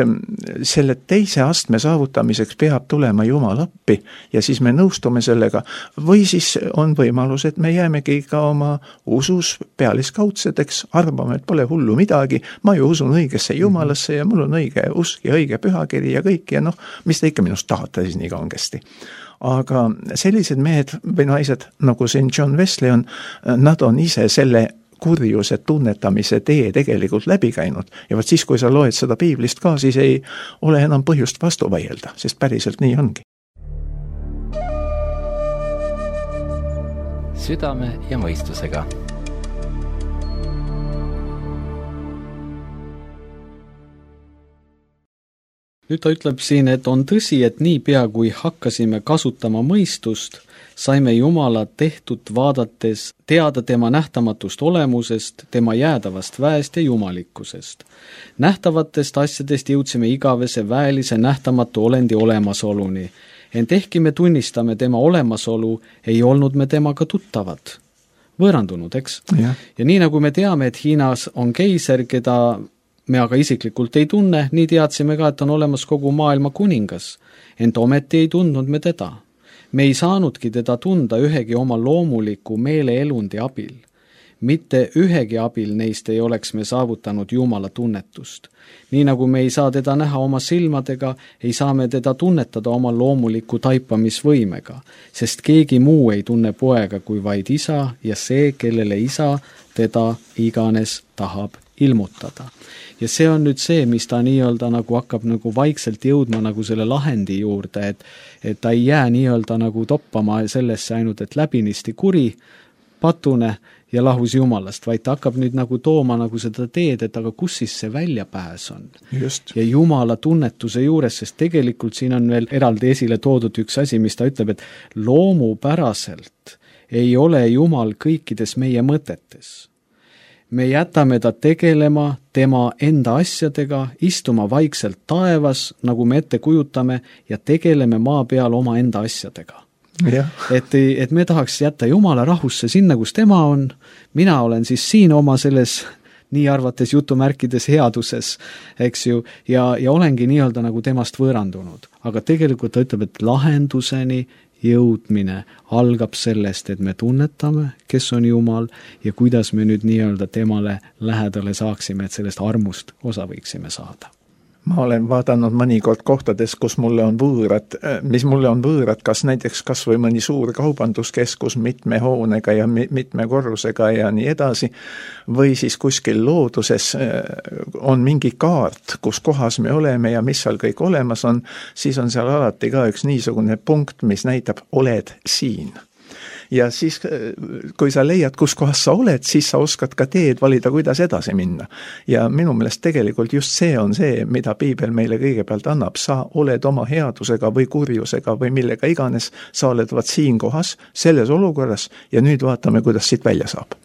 selle teise astme saavutamiseks peab tulema Jumal appi ja siis me nõustume sellega. Või siis on võimalus, et me jäämegi ka oma usus pealiskaudseteks, arvame, et pole hullu midagi, ma ju usun õigesse Jumalasse ja mul on õige usk ja õige pühakiri ja kõik ja noh, mis te ikka minust tahate siis nii kangesti. Aga sellised mehed või naised, nagu siin John Wesley on, nad on ise selle kurjuse tunnetamise tee tegelikult läbi käinud. Ja võt siis, kui sa loed seda piiblist ka, siis ei ole enam põhjust vastu vaielda, sest päriselt nii ongi. Südame ja mõistusega. Nüüd ta ütleb siin, et on tõsi, et nii pea kui hakkasime kasutama mõistust, saime Jumala tehtud vaadates teada tema nähtamatust olemusest, tema jäädavast väest ja jumalikkusest. Nähtavatest asjadest jõudsime igavese väelise nähtamatu olendi olemasoluni. Ent ehkki me tunnistame tema olemasolu, ei olnud me temaga tuttavad. Võõrandunud, eks? Ja. ja nii nagu me teame, et Hiinas on keiser, keda me aga isiklikult ei tunne, nii teadsime ka, et on olemas kogu maailma kuningas. Ent ometi ei tundnud me teda. Me ei saanudki teda tunda ühegi oma loomuliku meeleelundi abil. Mitte ühegi abil neist ei oleks me saavutanud Jumala tunnetust. Nii nagu me ei saa teda näha oma silmadega, ei saa me teda tunnetada oma loomuliku taipamisvõimega, sest keegi muu ei tunne poega kui vaid isa ja see, kellele isa teda iganes tahab ilmutada. Ja see on nüüd see, mis ta nii-öelda nagu hakkab nagu vaikselt jõudma nagu selle lahendi juurde, et, et ta ei jää nii-öelda nagu toppama sellesse ainult, et läbinisti kuri, patune ja lahus Jumalast, vaid ta hakkab nüüd nagu tooma nagu seda teed, et aga kus siis see väljapääs on. Just. Ja Jumala tunnetuse juures, sest tegelikult siin on veel eraldi esile toodud üks asi, mis ta ütleb, et loomupäraselt ei ole Jumal kõikides meie mõtetes. Me jätame ta tegelema tema enda asjadega, istuma vaikselt taevas, nagu me ette kujutame, ja tegeleme maa peal oma enda asjadega. Ja. Et, et me tahaks jätta Jumala rahusse sinna, kus tema on, mina olen siis siin oma selles nii arvates jutumärkides headuses, eks ju, ja, ja olengi nii-öelda nagu temast võõrandunud. Aga tegelikult ta ütleb, et lahenduseni jõudmine algab sellest, et me tunnetame, kes on Jumal ja kuidas me nüüd nii-öelda temale lähedale saaksime, et sellest armust osa võiksime saada. Ma olen vaadanud mõnikord kohtades, kus mulle on võõrad, mis mulle on võõrad, kas näiteks kas või mõni suur kaubanduskeskus mitme hoonega ja mitme korrusega ja nii edasi, või siis kuskil looduses on mingi kaart, kus kohas me oleme ja mis seal kõik olemas on, siis on seal alati ka üks niisugune punkt, mis näitab, oled siin. ja siis, kui sa leiad, kus kohas sa oled, siis sa oskad ka teed valida, kuidas edasi minna. Ja minu meelest tegelikult just see on see, mida piibel meile kõigepealt annab. Sa oled oma headusega või kurjusega või millega iganes, sa oled vaat siin kohas, selles olukorras ja nüüd vaatame, kuidas siit välja saab.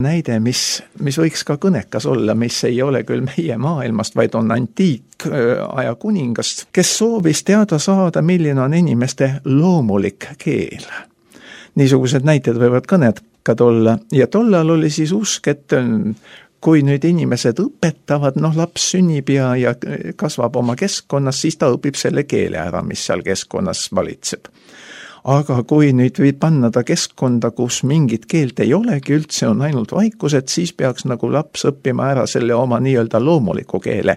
Näide, mis, mis võiks ka kõnekas olla, mis ei ole küll meie maailmast, vaid on antiikaja kuningast, kes soovis teada saada, milline on inimeste loomulik keel. Niisugused näited võivad kõnekad olla ja tollal oli siis usk, et kui nüüd inimesed õpetavad, noh laps sünnib ja, ja kasvab oma keskkonnas, siis ta õpib selle keele ära, mis seal keskkonnas valitseb. Aga kui nüüd võib panna ta keskkonda, kus mingit keelt ei olegi üldse, on ainult vaikused, siis peaks nagu laps õppima ära selle oma nii-öelda loomuliku keele,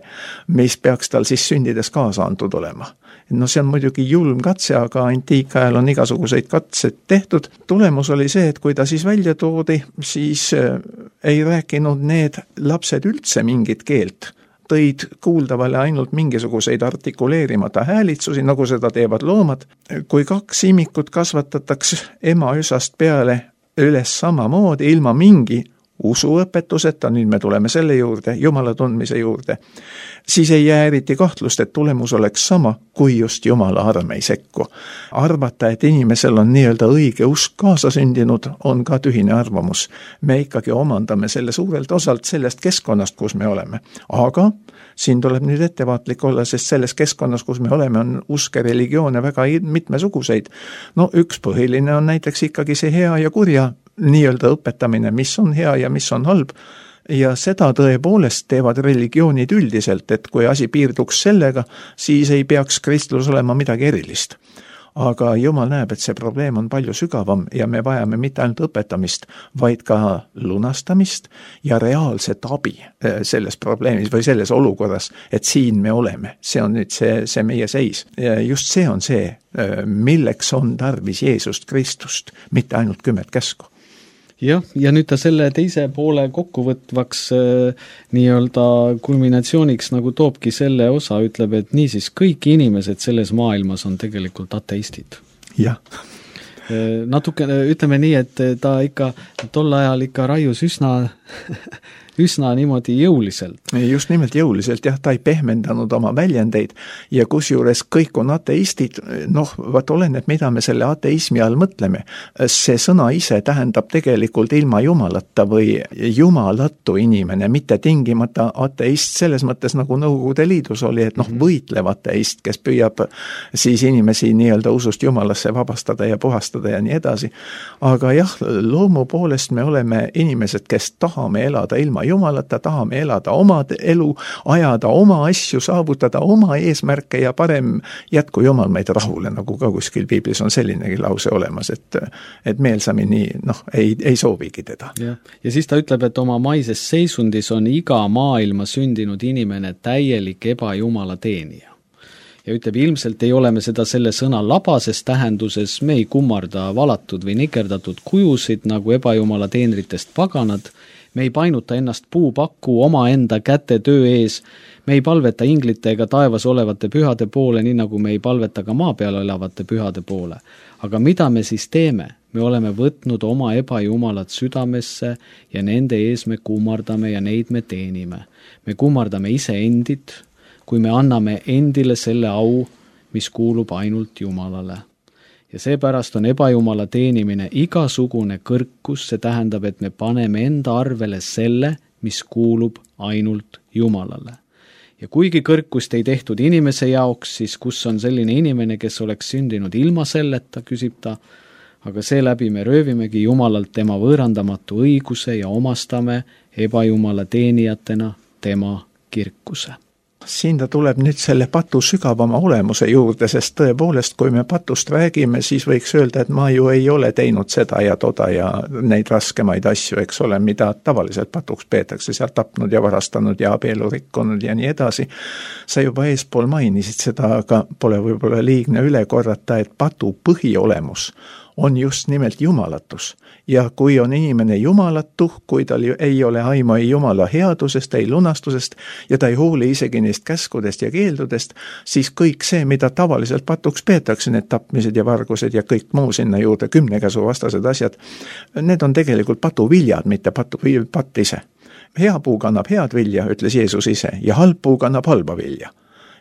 mis peaks tal siis sündides kaasa antud olema. No see on muidugi julm katse, aga antiikajal on igasuguseid katsed tehtud. Tulemus oli see, et kui ta siis välja toodi, siis ei rääkinud need lapsed üldse mingit keelt. Tõid kuuldavale ainult mingisuguseid artikuleerimata häälitsusi, nagu seda teevad loomad. Kui kaks imikut kasvatatakse ema üsast peale üles samamoodi, ilma mingi usuõpetuseta, nüüd me tuleme selle juurde, Jumala tundmise juurde, siis ei jää eriti kahtlust, et tulemus oleks sama, kui just Jumala arm ei sekku. Arvata, et inimesel on nii-öelda õige usk kaasa sündinud, on ka tühine arvamus. Me ikkagi omandame selle suurelt osalt sellest keskkonnast, kus me oleme. Aga siin tuleb nüüd ettevaatlik olla, sest selles keskkonnas, kus me oleme, on uske religioone väga mitmesuguseid. No üks põhiline on näiteks ikkagi see hea ja kurja nii-öelda õpetamine, mis on hea ja mis on halb. Ja seda tõepoolest teevad religioonid üldiselt, et kui asi piirduks sellega, siis ei peaks kristlus olema midagi erilist. Aga Jumal näeb, et see probleem on palju sügavam ja me vajame mitte ainult õpetamist, vaid ka lunastamist ja reaalset abi selles probleemis või selles olukorras, et siin me oleme. See on nüüd see, see meie seis. Ja just see on see, milleks on tarvis Jeesust Kristust, mitte ainult kümmet käsku. Jah, ja nüüd ta selle teise poole kokkuvõtvaks äh, nii-öelda kulminatsiooniks nagu toobki selle osa, ütleb, et niisiis kõik inimesed selles maailmas on tegelikult ateistid. Jah. Äh, natuke ütleme nii, et ta ikka tol ajal ikka raius üsna üsna niimoodi jõuliselt. Just nimelt jõuliselt, jah, ta ei pehmendanud oma väljendeid ja kusjuures kõik on ateistid, noh, vaat oleneb, mida me selle ateismi all mõtleme. See sõna ise tähendab tegelikult ilma jumalata või jumalatu inimene, mitte tingimata ateist selles mõttes, nagu Nõukogude Liidus oli, et noh, võitlev ateist, kes püüab siis inimesi nii-öelda usust jumalasse vabastada ja puhastada ja nii edasi. Aga jah, loomu poolest me oleme inimesed, kes tahame elada ilma jumalata, tahame elada oma elu, ajada oma asju, saavutada oma eesmärke ja parem jätku Jumal meid rahule, nagu ka kuskil piiblis on sellinegi lause olemas, et, et meelsamini noh, ei, ei soovigi teda. Ja. ja siis ta ütleb, et oma maises seisundis on iga maailma sündinud inimene täielik ebajumala teenija. Ja ütleb, ilmselt ei ole me seda selle sõna labases tähenduses, me ei kummarda valatud või nikerdatud kujusid nagu ebajumala teenritest paganad, me ei painuta ennast puupakku oma enda käte töö ees, me ei palveta inglite ega taevas olevate pühade poole, nii nagu me ei palveta ka maa peal elavate pühade poole. Aga mida me siis teeme? Me oleme võtnud oma ebajumalad südamesse ja nende ees me kummardame ja neid me teenime. Me kummardame ise endid, kui me anname endile selle au, mis kuulub ainult Jumalale. Ja seepärast on ebajumala teenimine igasugune kõrkus, see tähendab, et me paneme enda arvele selle, mis kuulub ainult Jumalale. Ja kuigi kõrkust ei tehtud inimese jaoks, siis kus on selline inimene, kes oleks sündinud ilma selleta, küsib ta, aga seeläbi me röövimegi Jumalalt tema võõrandamatu õiguse ja omastame ebajumala teenijatena tema kirkuse. Siin ta tuleb nüüd selle patu sügavama olemuse juurde, sest tõepoolest, kui me patust räägime, siis võiks öelda, et ma ju ei ole teinud seda ja toda ja neid raskemaid asju, eks ole, mida tavaliselt patuks peetakse, seal tapnud ja varastanud ja abielu rikkunud ja nii edasi. Sa juba eespool mainisid seda, aga pole võib-olla liigne üle korrata, et patu põhiolemus on just nimelt jumalatus. Ja kui on inimene jumalatu, kui tal ei ole aimu ei jumala headusest, ei lunastusest ja ta ei hooli isegi neist käskudest ja keeldudest, siis kõik see, mida tavaliselt patuks peetakse, need tapmised ja vargused ja kõik muu sinna juurde, kümnekäsu vastased asjad, need on tegelikult patuviljad, mitte patu, patt ise. Hea puu kannab head vilja, ütles Jeesus ise, ja halb puu kannab halba vilja.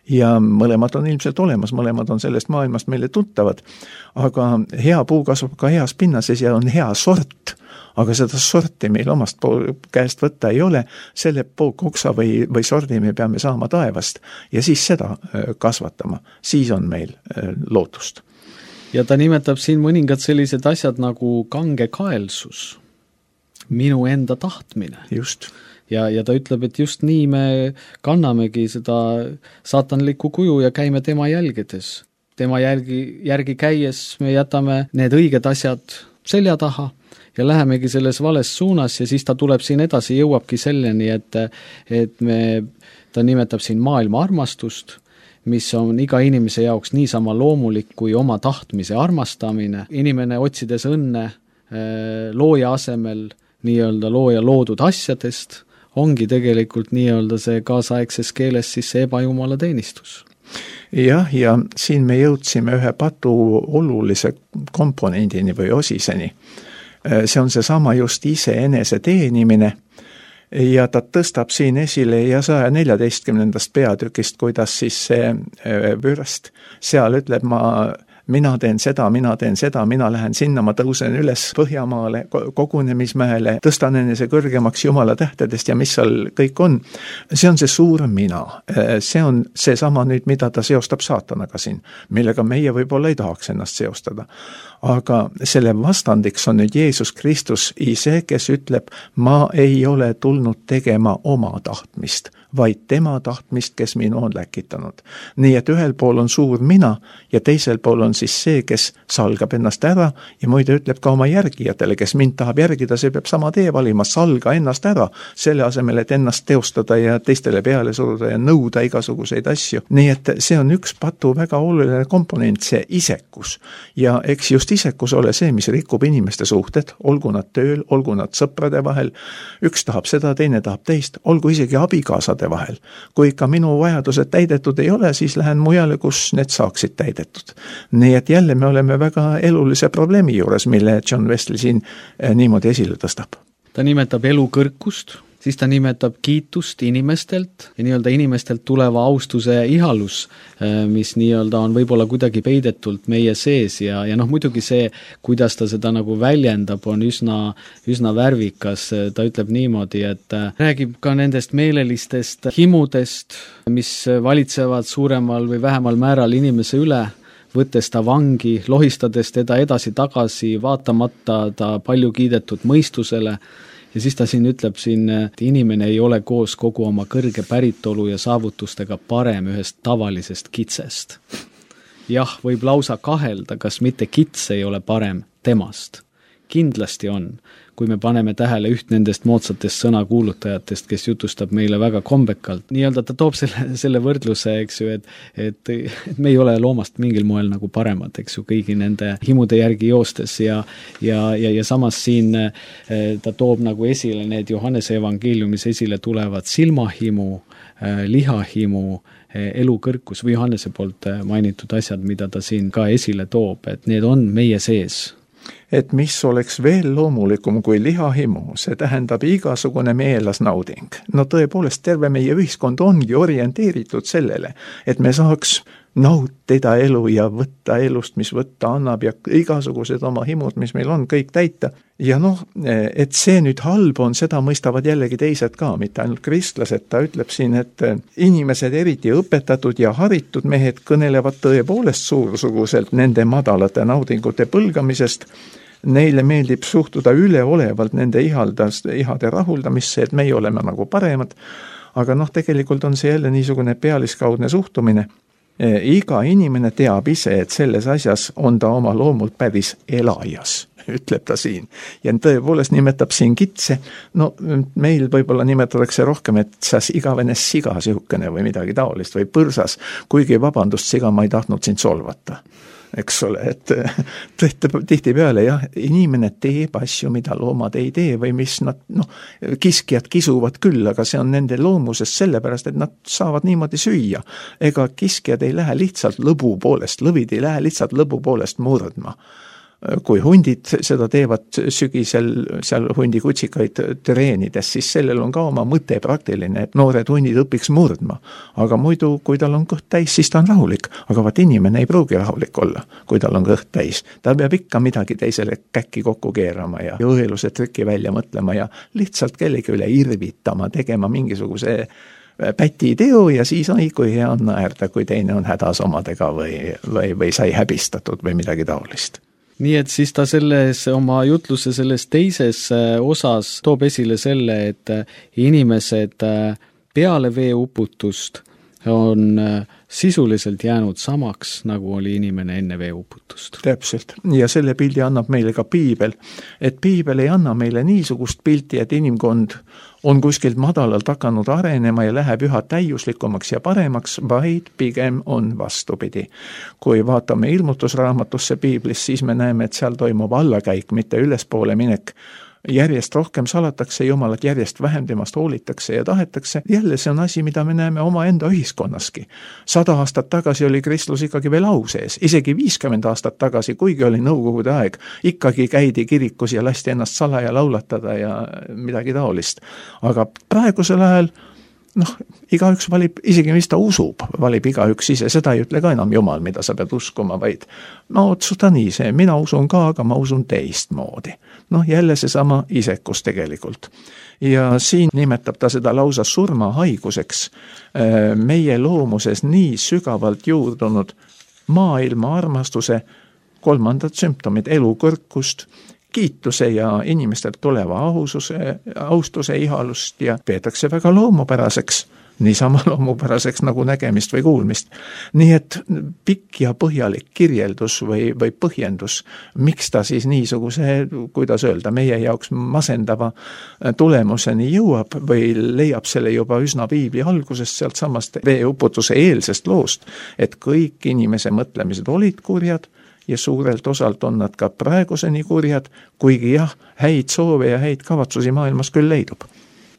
Ja mõlemad on ilmselt olemas, mõlemad on sellest maailmast meile tuttavad, aga hea puu kasvab ka heas pinnases ja on hea sort, aga seda sorti meil omast pool käest võtta ei ole, selle koksa või, või sordi me peame saama taevast ja siis seda kasvatama, siis on meil lootust. Ja ta nimetab siin mõningad sellised asjad nagu kangekaelsus, minu enda tahtmine. Just. Ja, ja ta ütleb, et just nii me kannamegi seda saatanlikku kuju ja käime tema jälgedes. Tema jälgi, järgi käies me jätame need õiged asjad selja taha ja lähemegi selles vales suunas ja siis ta tuleb siin edasi, jõuabki selleni, et, et me, ta nimetab siin maailma armastust, mis on iga inimese jaoks niisama loomulik kui oma tahtmise armastamine. Inimene otsides õnne looja asemel nii-öelda looja loodud asjadest, ongi tegelikult nii-öelda see kaasaegses keeles siis see ebajumala teenistus. Jah, ja siin me jõudsime ühe patu olulise komponendini või osiseni. See on see sama just ise enese teenimine ja ta tõstab siin esile ja saja neljateistkümnendast peatükist, kuidas siis see vürst seal ütleb, ma mina teen seda, mina teen seda, mina lähen sinna, ma tõusen üles Põhjamaale, kogunemismäele, tõstan enese kõrgemaks Jumala tähtedest ja mis seal kõik on. See on see suur mina. See on see sama nüüd, mida ta seostab saatanaga siin, millega meie võib-olla ei tahaks ennast seostada. Aga selle vastandiks on nüüd Jeesus Kristus ise, kes ütleb, ma ei ole tulnud tegema oma tahtmist, vaid tema tahtmist, kes minu on läkitanud. Nii et ühel pool on suur mina ja teisel pool on siis see, kes salgab ennast ära ja muide ütleb ka oma järgijatele, kes mind tahab järgida, see peab sama tee valima, salga ennast ära, selle asemel, et ennast teostada ja teistele peale suruda ja nõuda igasuguseid asju. Nii et see on üks patu väga oluline komponent, see isekus. Ja eks just isekus ole see, mis rikub inimeste suhted, olgu nad tööl, olgu nad sõprade vahel, üks tahab seda, teine tahab teist, olgu isegi abikaasade vahel. Kui ikka minu vajadused täidetud ei ole, siis lähen mujale, kus need saaksid täidetud. Nii et jälle me oleme väga elulise probleemi juures, mille John Wesley siin niimoodi esile tõstab. Ta nimetab elu kõrkust, siis ta nimetab kiitust inimestelt ja nii-öelda inimestelt tuleva austuse ihalus, mis nii-öelda on võib-olla kuidagi peidetult meie sees ja, ja noh, muidugi see, kuidas ta seda nagu väljendab, on üsna, üsna värvikas. Ta ütleb niimoodi, et räägib ka nendest meelelistest himudest, mis valitsevad suuremal või vähemal määral inimese üle, võttes ta vangi, lohistades teda edasi-tagasi, vaatamata ta palju kiidetud mõistusele. Ja siis ta siin ütleb siin, et inimene ei ole koos kogu oma kõrge päritolu ja saavutustega parem ühest tavalisest kitsest. Jah, võib lausa kahelda, kas mitte kits ei ole parem temast. Kindlasti on, kui me paneme tähele üht nendest moodsatest sõnakuulutajatest, kes jutustab meile väga kombekalt. Nii-öelda ta toob selle, selle võrdluse, eks ju, et, et, et me ei ole loomast mingil moel nagu paremad, eks ju, kõigi nende himude järgi joostes ja, ja, ja, ja samas siin ta toob nagu esile need Johannese evangeeliumis esile tulevad silmahimu, lihahimu, elukõrkus või Johannese poolt mainitud asjad, mida ta siin ka esile toob, et need on meie sees. Et mis oleks veel loomulikum kui lihahimu, see tähendab igasugune meelasnauding. No tõepoolest terve meie ühiskond ongi orienteeritud sellele, et me saaks nautida elu ja võtta elust, mis võtta annab ja igasugused oma himud, mis meil on, kõik täita. Ja noh, et see nüüd halb on, seda mõistavad jällegi teised ka, mitte ainult kristlased. Ta ütleb siin, et inimesed, eriti õpetatud ja haritud mehed, kõnelevad tõepoolest suursuguselt nende madalate naudingute põlgamisest. Neile meeldib suhtuda üleolevalt nende ihaldast, ihade rahuldamisse, et meie oleme nagu paremad. Aga noh, tegelikult on see jälle niisugune pealiskaudne suhtumine. Iga inimene teab ise, et selles asjas on ta oma loomult päris elajas, ütleb ta siin. Ja tõepoolest nimetab siin kitse, no meil võib-olla nimetatakse rohkem, et sas igavene siga sihukene või midagi taolist või põrsas, kuigi vabandust, siga ma ei tahtnud sind solvata. eks ole, et tihtipeale jah, inimene teeb asju, mida loomad ei tee või mis nad, noh, kiskjad kisuvad küll, aga see on nende loomusest sellepärast, et nad saavad niimoodi süüa. Ega kiskjad ei lähe lihtsalt lõbu poolest, lõvid ei lähe lihtsalt lõbu poolest murdma. Kui hundid seda teevad sügisel seal hundikutsikaid treenides, siis sellel on ka oma mõte praktiline, et noored hundid õpiks murdma. Aga muidu, kui tal on kõht täis, siis ta on rahulik. Aga vaat inimene ei pruugi rahulik olla, kui tal on kõht täis. Ta peab ikka midagi teisele käkki kokku keerama ja õeluse trükki välja mõtlema ja lihtsalt kellegi üle irvitama, tegema mingisuguse päti teo ja siis on kui hea on naerda, kui teine on hädas omadega või, või, või sai häbistatud või midagi taolist. Nii et siis ta selles oma jutluse selles teises osas toob esile selle, et inimesed peale veeuputust on sisuliselt jäänud samaks, nagu oli inimene enne veeuputust. Täpselt. Ja selle pildi annab meile ka piibel. Et piibel ei anna meile niisugust pilti, et inimkond on kuskilt madalalt hakanud arenema ja läheb üha täiuslikumaks ja paremaks, vaid pigem on vastupidi. Kui vaatame ilmutusraamatusse piiblis, siis me näeme, et seal toimub allakäik, mitte ülespoole minek. Järjest rohkem salatakse Jumalat, järjest vähem temast hoolitakse ja tahetakse. Jälle see on asi, mida me näeme oma enda ühiskonnaski. Sada aastat tagasi oli kristlus ikkagi veel au sees, isegi viiskümmend aastat tagasi, kuigi oli nõukogude aeg, ikkagi käidi kirikus ja lasti ennast salaja laulatada ja midagi taolist. Aga praegusel ajal noh, igaüks valib, isegi mis ta usub, valib igaüks ise, seda ei ütle ka enam Jumal, mida sa pead uskuma, vaid ma otsusta nii see, mina usun ka, aga ma usun teistmoodi. Noh, jälle see sama isekus tegelikult. Ja siin nimetab ta seda lausa surmahaiguseks, meie loomuses nii sügavalt juurdunud maailma armastuse kolmandad sümptomid, elukõrkust, kiituse ja inimestelt tuleva aususe, austuse ihalust ja peetakse väga loomupäraseks, niisama loomupäraseks nagu nägemist või kuulmist. Nii et pikk ja põhjalik kirjeldus või, või põhjendus, miks ta siis niisuguse, kuidas öelda, meie jaoks masendava tulemuseni jõuab või leiab selle juba üsna piibli algusest sealt samast veeuputuse eelsest loost, et kõik inimese mõtlemised olid kurjad, ja suurelt osalt on nad ka praeguseni kurjad, kuigi jah, häid soove ja häid kavatsusi maailmas küll leidub.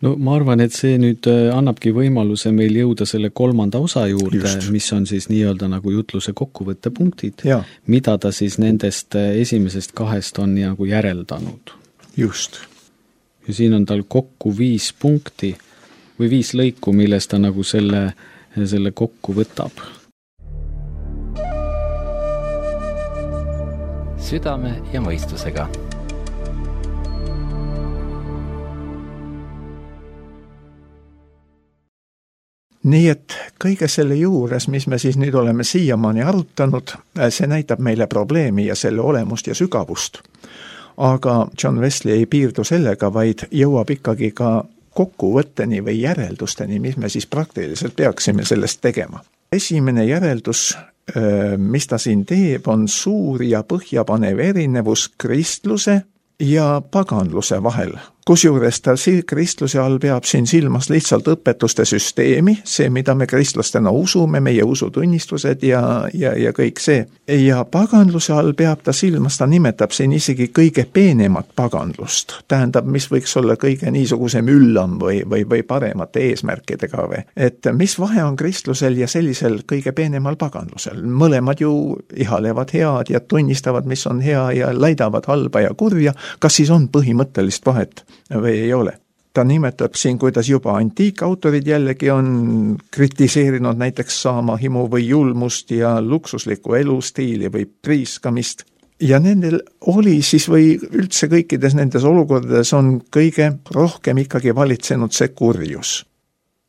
No ma arvan, et see nüüd annabki võimaluse meil jõuda selle kolmanda osa juurde, Just. mis on siis nii-öelda nagu jutluse kokkuvõttepunktid, ja. mida ta siis nendest esimesest kahest on nagu järeldanud. Just. Ja siin on tal kokku viis punkti või viis lõiku, millest ta nagu selle, selle kokku võtab. Südame ja mõistusega. Nii et kõige selle juures, mis me siis nüüd oleme siiamaani arutanud, see näitab meile probleemi ja selle olemust ja sügavust. Aga John Wesley ei piirdu sellega, vaid jõuab ikkagi ka kokkuvõtteni või järeldusteni, mis me siis praktiliselt peaksime sellest tegema. Esimene järeldus, mis ta siin teeb, on suur ja põhjapanev erinevus kristluse ja paganluse vahel. Kusjuures ta kristluse all peab siin silmas lihtsalt õpetuste süsteemi, see, mida me kristlastena usume, meie usutunnistused ja, ja, ja kõik see. Ja paganluse all peab ta silmas, ta nimetab siin isegi kõige peenemat paganlust. Tähendab, mis võiks olla kõige niisuguse müllam või, või, või paremate eesmärkidega või. Et mis vahe on kristlusel ja sellisel kõige peenemal paganlusel? Mõlemad ju ihalevad head ja tunnistavad, mis on hea ja laidavad halba ja kurja. Kas siis on põhimõttelist vahet või ei ole? Ta nimetab siin, kuidas juba antiikautorid jällegi on kritiseerinud näiteks saamahimu või julmust ja luksuslikku elustiili või priiskamist. Ja nendel oli siis või üldse kõikides nendes olukordades on kõige rohkem ikkagi valitsenud see kurjus.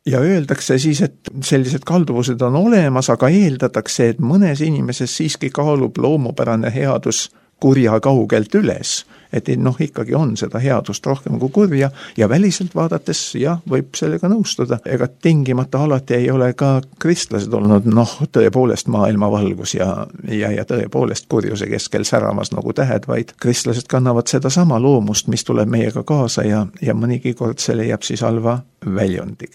Ja öeldakse siis, et sellised kalduvused on olemas, aga eeldatakse, et mõnes inimeses siiski kaalub loomupärane headus kurja kaugelt üles, et noh, ikkagi on seda headust rohkem kui kurja ja väliselt vaadates, jah, võib sellega nõustuda. Ega tingimata alati ei ole ka kristlased olnud, noh, tõepoolest maailma valgus ja, ja, ja tõepoolest kurjuse keskel säramas nagu tähed, vaid kristlased kannavad seda sama loomust, mis tuleb meiega kaasa ja, ja mõnigi kord see leiab siis halva väljundi.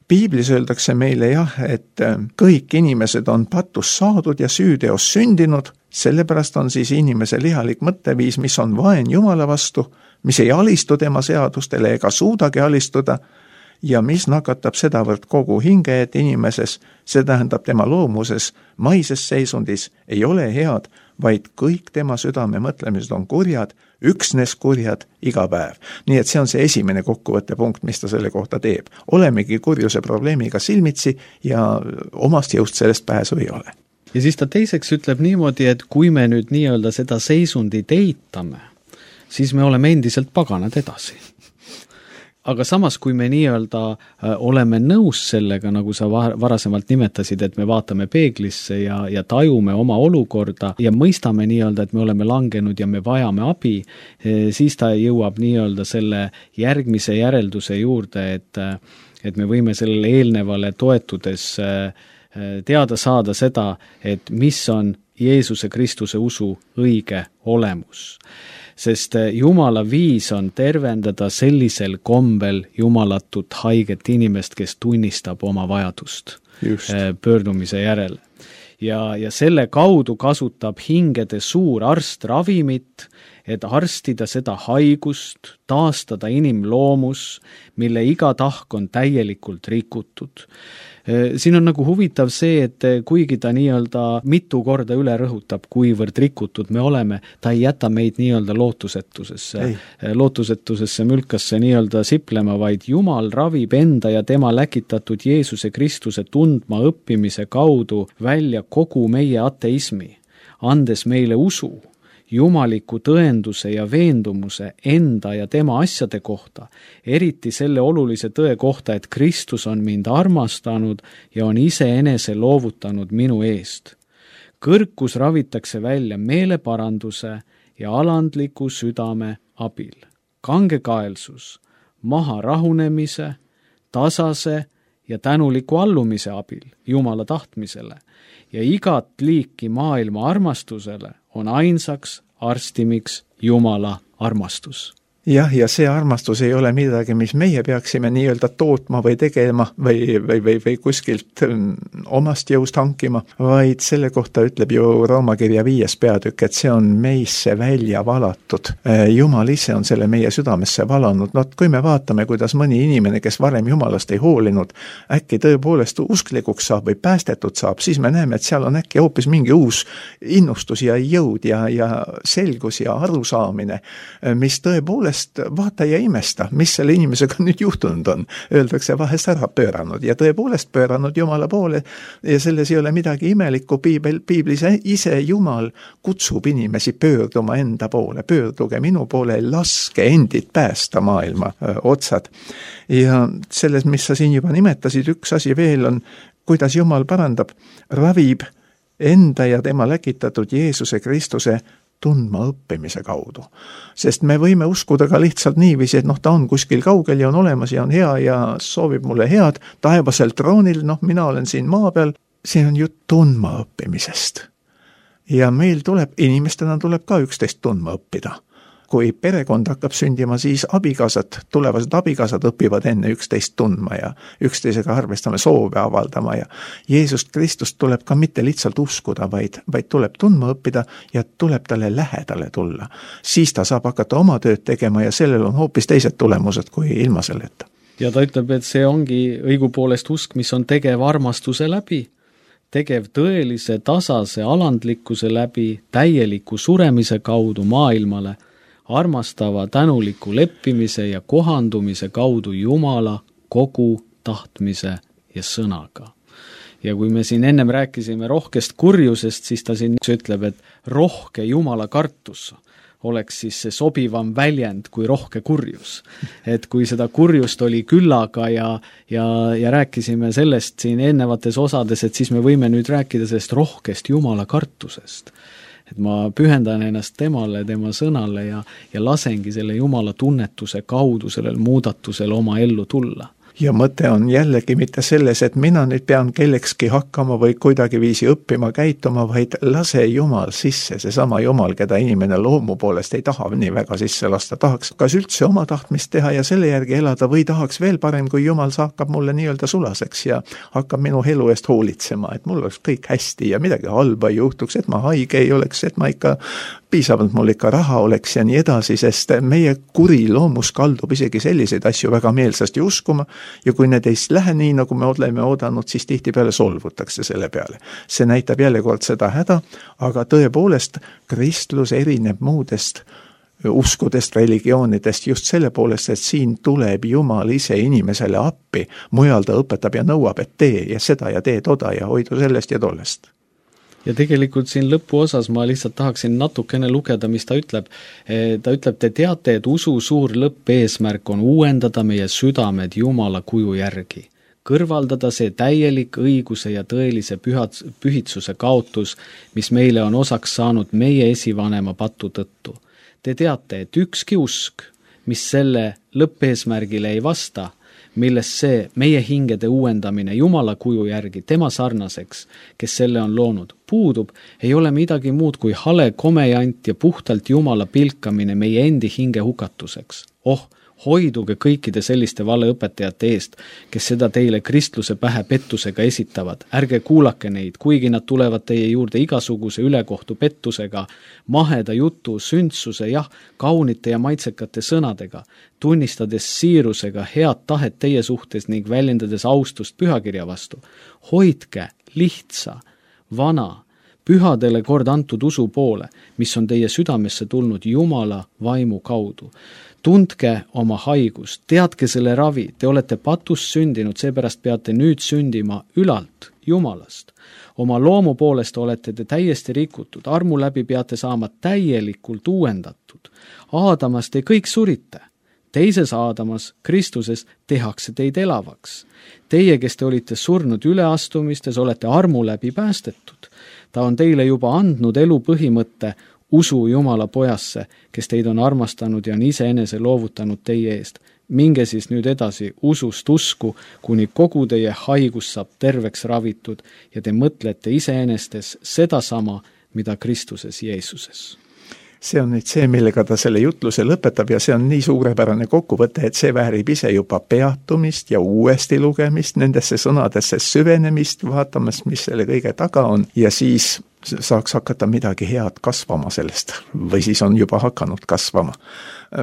Piiblis öeldakse meile jah, et kõik inimesed on patus saadud ja süüteos sündinud, sellepärast on siis inimese lihalik mõtteviis, mis on vaen Jumala vastu, mis ei alistu tema seadustele ega suudagi alistuda ja mis nakatab sedavõrd kogu hinge, et inimeses, see tähendab tema loomuses, maises seisundis ei ole head, vaid kõik tema südame mõtlemised on kurjad, üksnes kurjad iga päev. Nii et see on see esimene kokkuvõtte punkt, mis ta selle kohta teeb. Olemegi kurjuse probleemiga silmitsi ja omast jõust sellest pääsu ei ole. Ja siis ta teiseks ütleb niimoodi, et kui me nüüd nii-öelda seda seisundit eitame, siis me oleme endiselt paganad edasi. Aga samas, kui me nii-öelda oleme nõus sellega, nagu sa varasemalt nimetasid, et me vaatame peeglisse ja, ja tajume oma olukorda ja mõistame nii-öelda, et me oleme langenud ja me vajame abi, siis ta jõuab nii-öelda selle järgmise järelduse juurde, et, et me võime sellele eelnevale toetudes teada saada seda, et mis on Jeesuse Kristuse usu õige olemus. Sest Jumala viis on tervendada sellisel kombel jumalatut haiget inimest, kes tunnistab oma vajadust Just. pöördumise järele. Ja, ja selle kaudu kasutab hingede suur arst ravimit, et arstida seda haigust, taastada inimloomus, mille iga tahk on täielikult rikutud. Siin on nagu huvitav see, et kuigi ta nii-öelda mitu korda üle rõhutab, kuivõrd rikutud me oleme, ta ei jäta meid nii-öelda lootusetusesse, lootusetusesse mülkasse nii-öelda siplema, vaid Jumal ravib enda ja tema läkitatud Jeesuse Kristuse tundma õppimise kaudu välja kogu meie ateismi, andes meile usu, jumaliku tõenduse ja veendumuse enda ja tema asjade kohta, eriti selle olulise tõe kohta, et Kristus on mind armastanud ja on iseenese loovutanud minu eest. Kõrkus ravitakse välja meeleparanduse ja alandliku südame abil. Kangekaelsus, maha rahunemise, tasase ja tänuliku allumise abil Jumala tahtmisele ja igat liiki maailma armastusele on ainsaks arstimiks Jumala armastus. Jah, ja see armastus ei ole midagi, mis meie peaksime nii-öelda tootma või tegema või, või, või, või kuskilt omast jõust hankima, vaid selle kohta ütleb ju Roomakirja viies peatükk, et see on meisse välja valatud. Jumal ise on selle meie südamesse valanud. No, kui me vaatame, kuidas mõni inimene, kes varem Jumalast ei hoolinud, äkki tõepoolest usklikuks saab või päästetud saab, siis me näeme, et seal on äkki hoopis mingi uus innustus ja jõud ja, ja selgus ja arusaamine, mis tõepoolest vaata ja imesta, mis selle inimesega nüüd juhtunud on. Öeldakse vahest ära pööranud ja tõepoolest pööranud Jumala poole ja selles ei ole midagi imelikku. Piibel, piiblis ise Jumal kutsub inimesi pöörduma enda poole, pöörduge minu poole, laske endid päästa maailma öö, otsad. Ja selles, mis sa siin juba nimetasid, üks asi veel on, kuidas Jumal parandab, ravib enda ja tema läkitatud Jeesuse Kristuse tundma õppimise kaudu. Sest me võime uskuda ka lihtsalt niiviisi, et noh, ta on kuskil kaugel ja on olemas ja on hea ja soovib mulle head taevasel troonil, noh, mina olen siin maa peal, see on ju tundma õppimisest. Ja meil tuleb, inimestena tuleb ka üksteist tundma õppida. Kui perekond hakkab sündima, siis abikaasad, tulevased abikaasad õpivad enne üksteist tundma ja üksteisega arvestame soove avaldama ja Jeesust Kristust tuleb ka mitte lihtsalt uskuda, vaid, vaid tuleb tundma õppida ja tuleb talle lähedale tulla. Siis ta saab hakata oma tööd tegema ja sellel on hoopis teised tulemused kui ilma selleta. Ja ta ütleb, et see ongi õigupoolest usk, mis on tegev armastuse läbi, tegev tõelise tasase alandlikkuse läbi, täieliku suremise kaudu maailmale, armastava tänuliku leppimise ja kohandumise kaudu Jumala kogu tahtmise ja sõnaga. Ja kui me siin ennem rääkisime rohkest kurjusest, siis ta siin ütleb, et rohke Jumala kartus oleks siis see sobivam väljend kui rohke kurjus. Et kui seda kurjust oli küllaga ja, ja, ja rääkisime sellest siin ennevates osades, et siis me võime nüüd rääkida sellest rohkest Jumala kartusest. Et ma pühendan ennast temale, tema sõnale ja, ja lasengi selle Jumala tunnetuse kaudu sellel muudatusel oma ellu tulla. ja mõte on jällegi mitte selles, et mina nüüd pean kellekski hakkama või kuidagiviisi õppima käituma, vaid lase Jumal sisse, seesama Jumal, keda inimene loomu poolest ei taha nii väga sisse lasta, tahaks kas üldse oma tahtmist teha ja selle järgi elada või tahaks veel parem, kui Jumal hakkab mulle nii-öelda sulaseks ja hakkab minu elu eest hoolitsema, et mul oleks kõik hästi ja midagi halba ei juhtuks, et ma haige ei oleks, et ma ikka piisavalt mul ikka raha oleks ja nii edasi, sest meie kuri loomus kaldub isegi selliseid asju väga meelsasti uskuma ja kui need ei lähe nii, nagu me oleme oodanud, siis tihtipeale solvutakse selle peale. See näitab jälle kord seda häda, aga tõepoolest kristlus erineb muudest uskudest, religioonidest just selle poolest, et siin tuleb Jumal ise inimesele appi, mujal ta õpetab ja nõuab, et tee ja seda ja tee toda ja hoidu sellest ja tollest. Ja tegelikult siin lõpuosas ma lihtsalt tahaksin natukene lugeda, mis ta ütleb. Ta ütleb, te teate, et usu suur lõppeesmärk on uuendada meie südamed Jumala kuju järgi. Kõrvaldada see täielik õiguse ja tõelise pühad, pühitsuse kaotus, mis meile on osaks saanud meie esivanema patu tõttu. Te teate, et ükski usk, mis selle lõppeesmärgile ei vasta, milles see meie hingede uuendamine Jumala kuju järgi tema sarnaseks, kes selle on loonud, puudub, ei ole midagi muud kui hale komejant ja puhtalt Jumala pilkamine meie endi hinge hukatuseks. Oh, hoiduge kõikide selliste valeõpetajate eest, kes seda teile kristluse pähe pettusega esitavad. Ärge kuulake neid, kuigi nad tulevad teie juurde igasuguse ülekohtu pettusega, maheda jutu, sündsuse, jah, kaunite ja maitsekate sõnadega, tunnistades siirusega head tahet teie suhtes ning väljendades austust pühakirja vastu. Hoidke lihtsa, vana, pühadele kord antud usu poole, mis on teie südamesse tulnud Jumala vaimu kaudu. Tundke oma haigust, teadke selle ravi, te olete patust sündinud, seepärast peate nüüd sündima ülalt, Jumalast. Oma loomu poolest olete te täiesti rikutud, armu läbi peate saama täielikult uuendatud. Aadamas te kõik surite, teises Aadamas, Kristuses, tehakse teid elavaks. Teie, kes te olite surnud üleastumistes, olete armu läbi päästetud. Ta on teile juba andnud elu põhimõtte, usu Jumala pojasse, kes teid on armastanud ja on iseenese loovutanud teie eest. Minge siis nüüd edasi usust usku, kuni kogu teie haigus saab terveks ravitud ja te mõtlete iseenestes sedasama, mida Kristuses Jeesuses. See on nüüd see, millega ta selle jutluse lõpetab ja see on nii suurepärane kokkuvõte, et see väärib ise juba peatumist ja uuesti lugemist, nendesse sõnadesse süvenemist, vaatamas, mis selle kõige taga on ja siis saaks hakata midagi head kasvama sellest või siis on juba hakanud kasvama.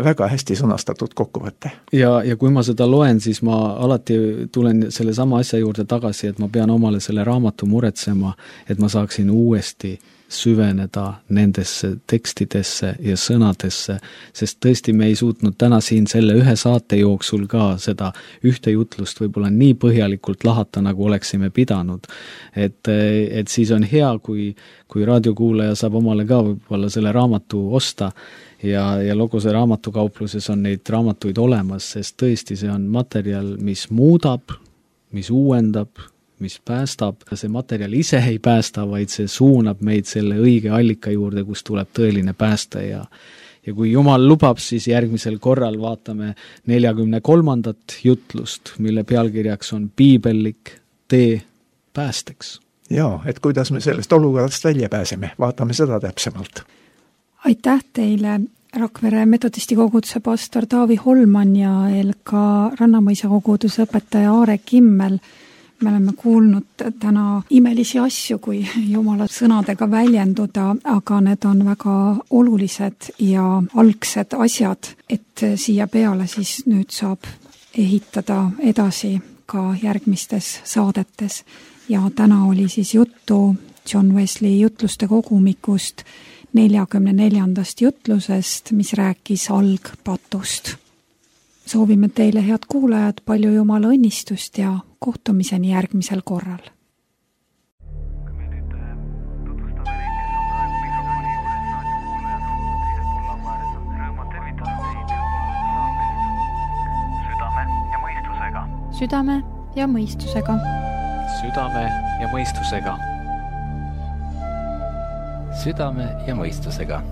Väga hästi sõnastatud kokkuvõte. Ja, ja kui ma seda loen, siis ma alati tulen selle sama asja juurde tagasi, et ma pean omale selle raamatu muretsema, et ma saaksin uuesti süveneda nendesse tekstidesse ja sõnadesse, sest tõesti me ei suutnud täna siin selle ühe saate jooksul ka seda ühte jutlust võib-olla nii põhjalikult lahata, nagu oleksime pidanud. Et, et siis on hea, kui, kui raadiokuulaja saab omale ka võib-olla selle raamatu osta ja, ja Logose raamatukaupluses on neid raamatuid olemas, sest tõesti see on materjal, mis muudab, mis uuendab, mis päästab. See materjal ise ei päästa, vaid see suunab meid selle õige allika juurde, kus tuleb tõeline päästa ja ja kui Jumal lubab, siis järgmisel korral vaatame neljakümne kolmandat jutlust, mille pealkirjaks on piibellik tee päästeks. Jaa, et kuidas me sellest olukorrast välja pääseme, vaatame seda täpsemalt. Aitäh teile, Rakvere metodisti koguduse pastor Taavi Holman ja ka Rannamõisa koguduse õpetaja Aare Kimmel. Me oleme kuulnud täna imelisi asju, kui Jumala sõnadega väljenduda, aga need on väga olulised ja algsed asjad, et siia peale siis nüüd saab ehitada edasi ka järgmistes saadetes. Ja täna oli siis juttu John Wesley jutluste kogumikust neljakümne neljandast jutlusest, mis rääkis algpatust. Soovime teile, head kuulajad, palju Jumala õnnistust ja kohtumiseni järgmisel korral. Kui me nüüd tutvustame neid, kes on praegu mikrofoni juures, raadiokuulajad on teisel pool lauääres, on rõõma tervitada teid saatest Südame ja mõistusega. Südame ja mõistusega. Südame ja mõistusega. Südame ja mõistusega.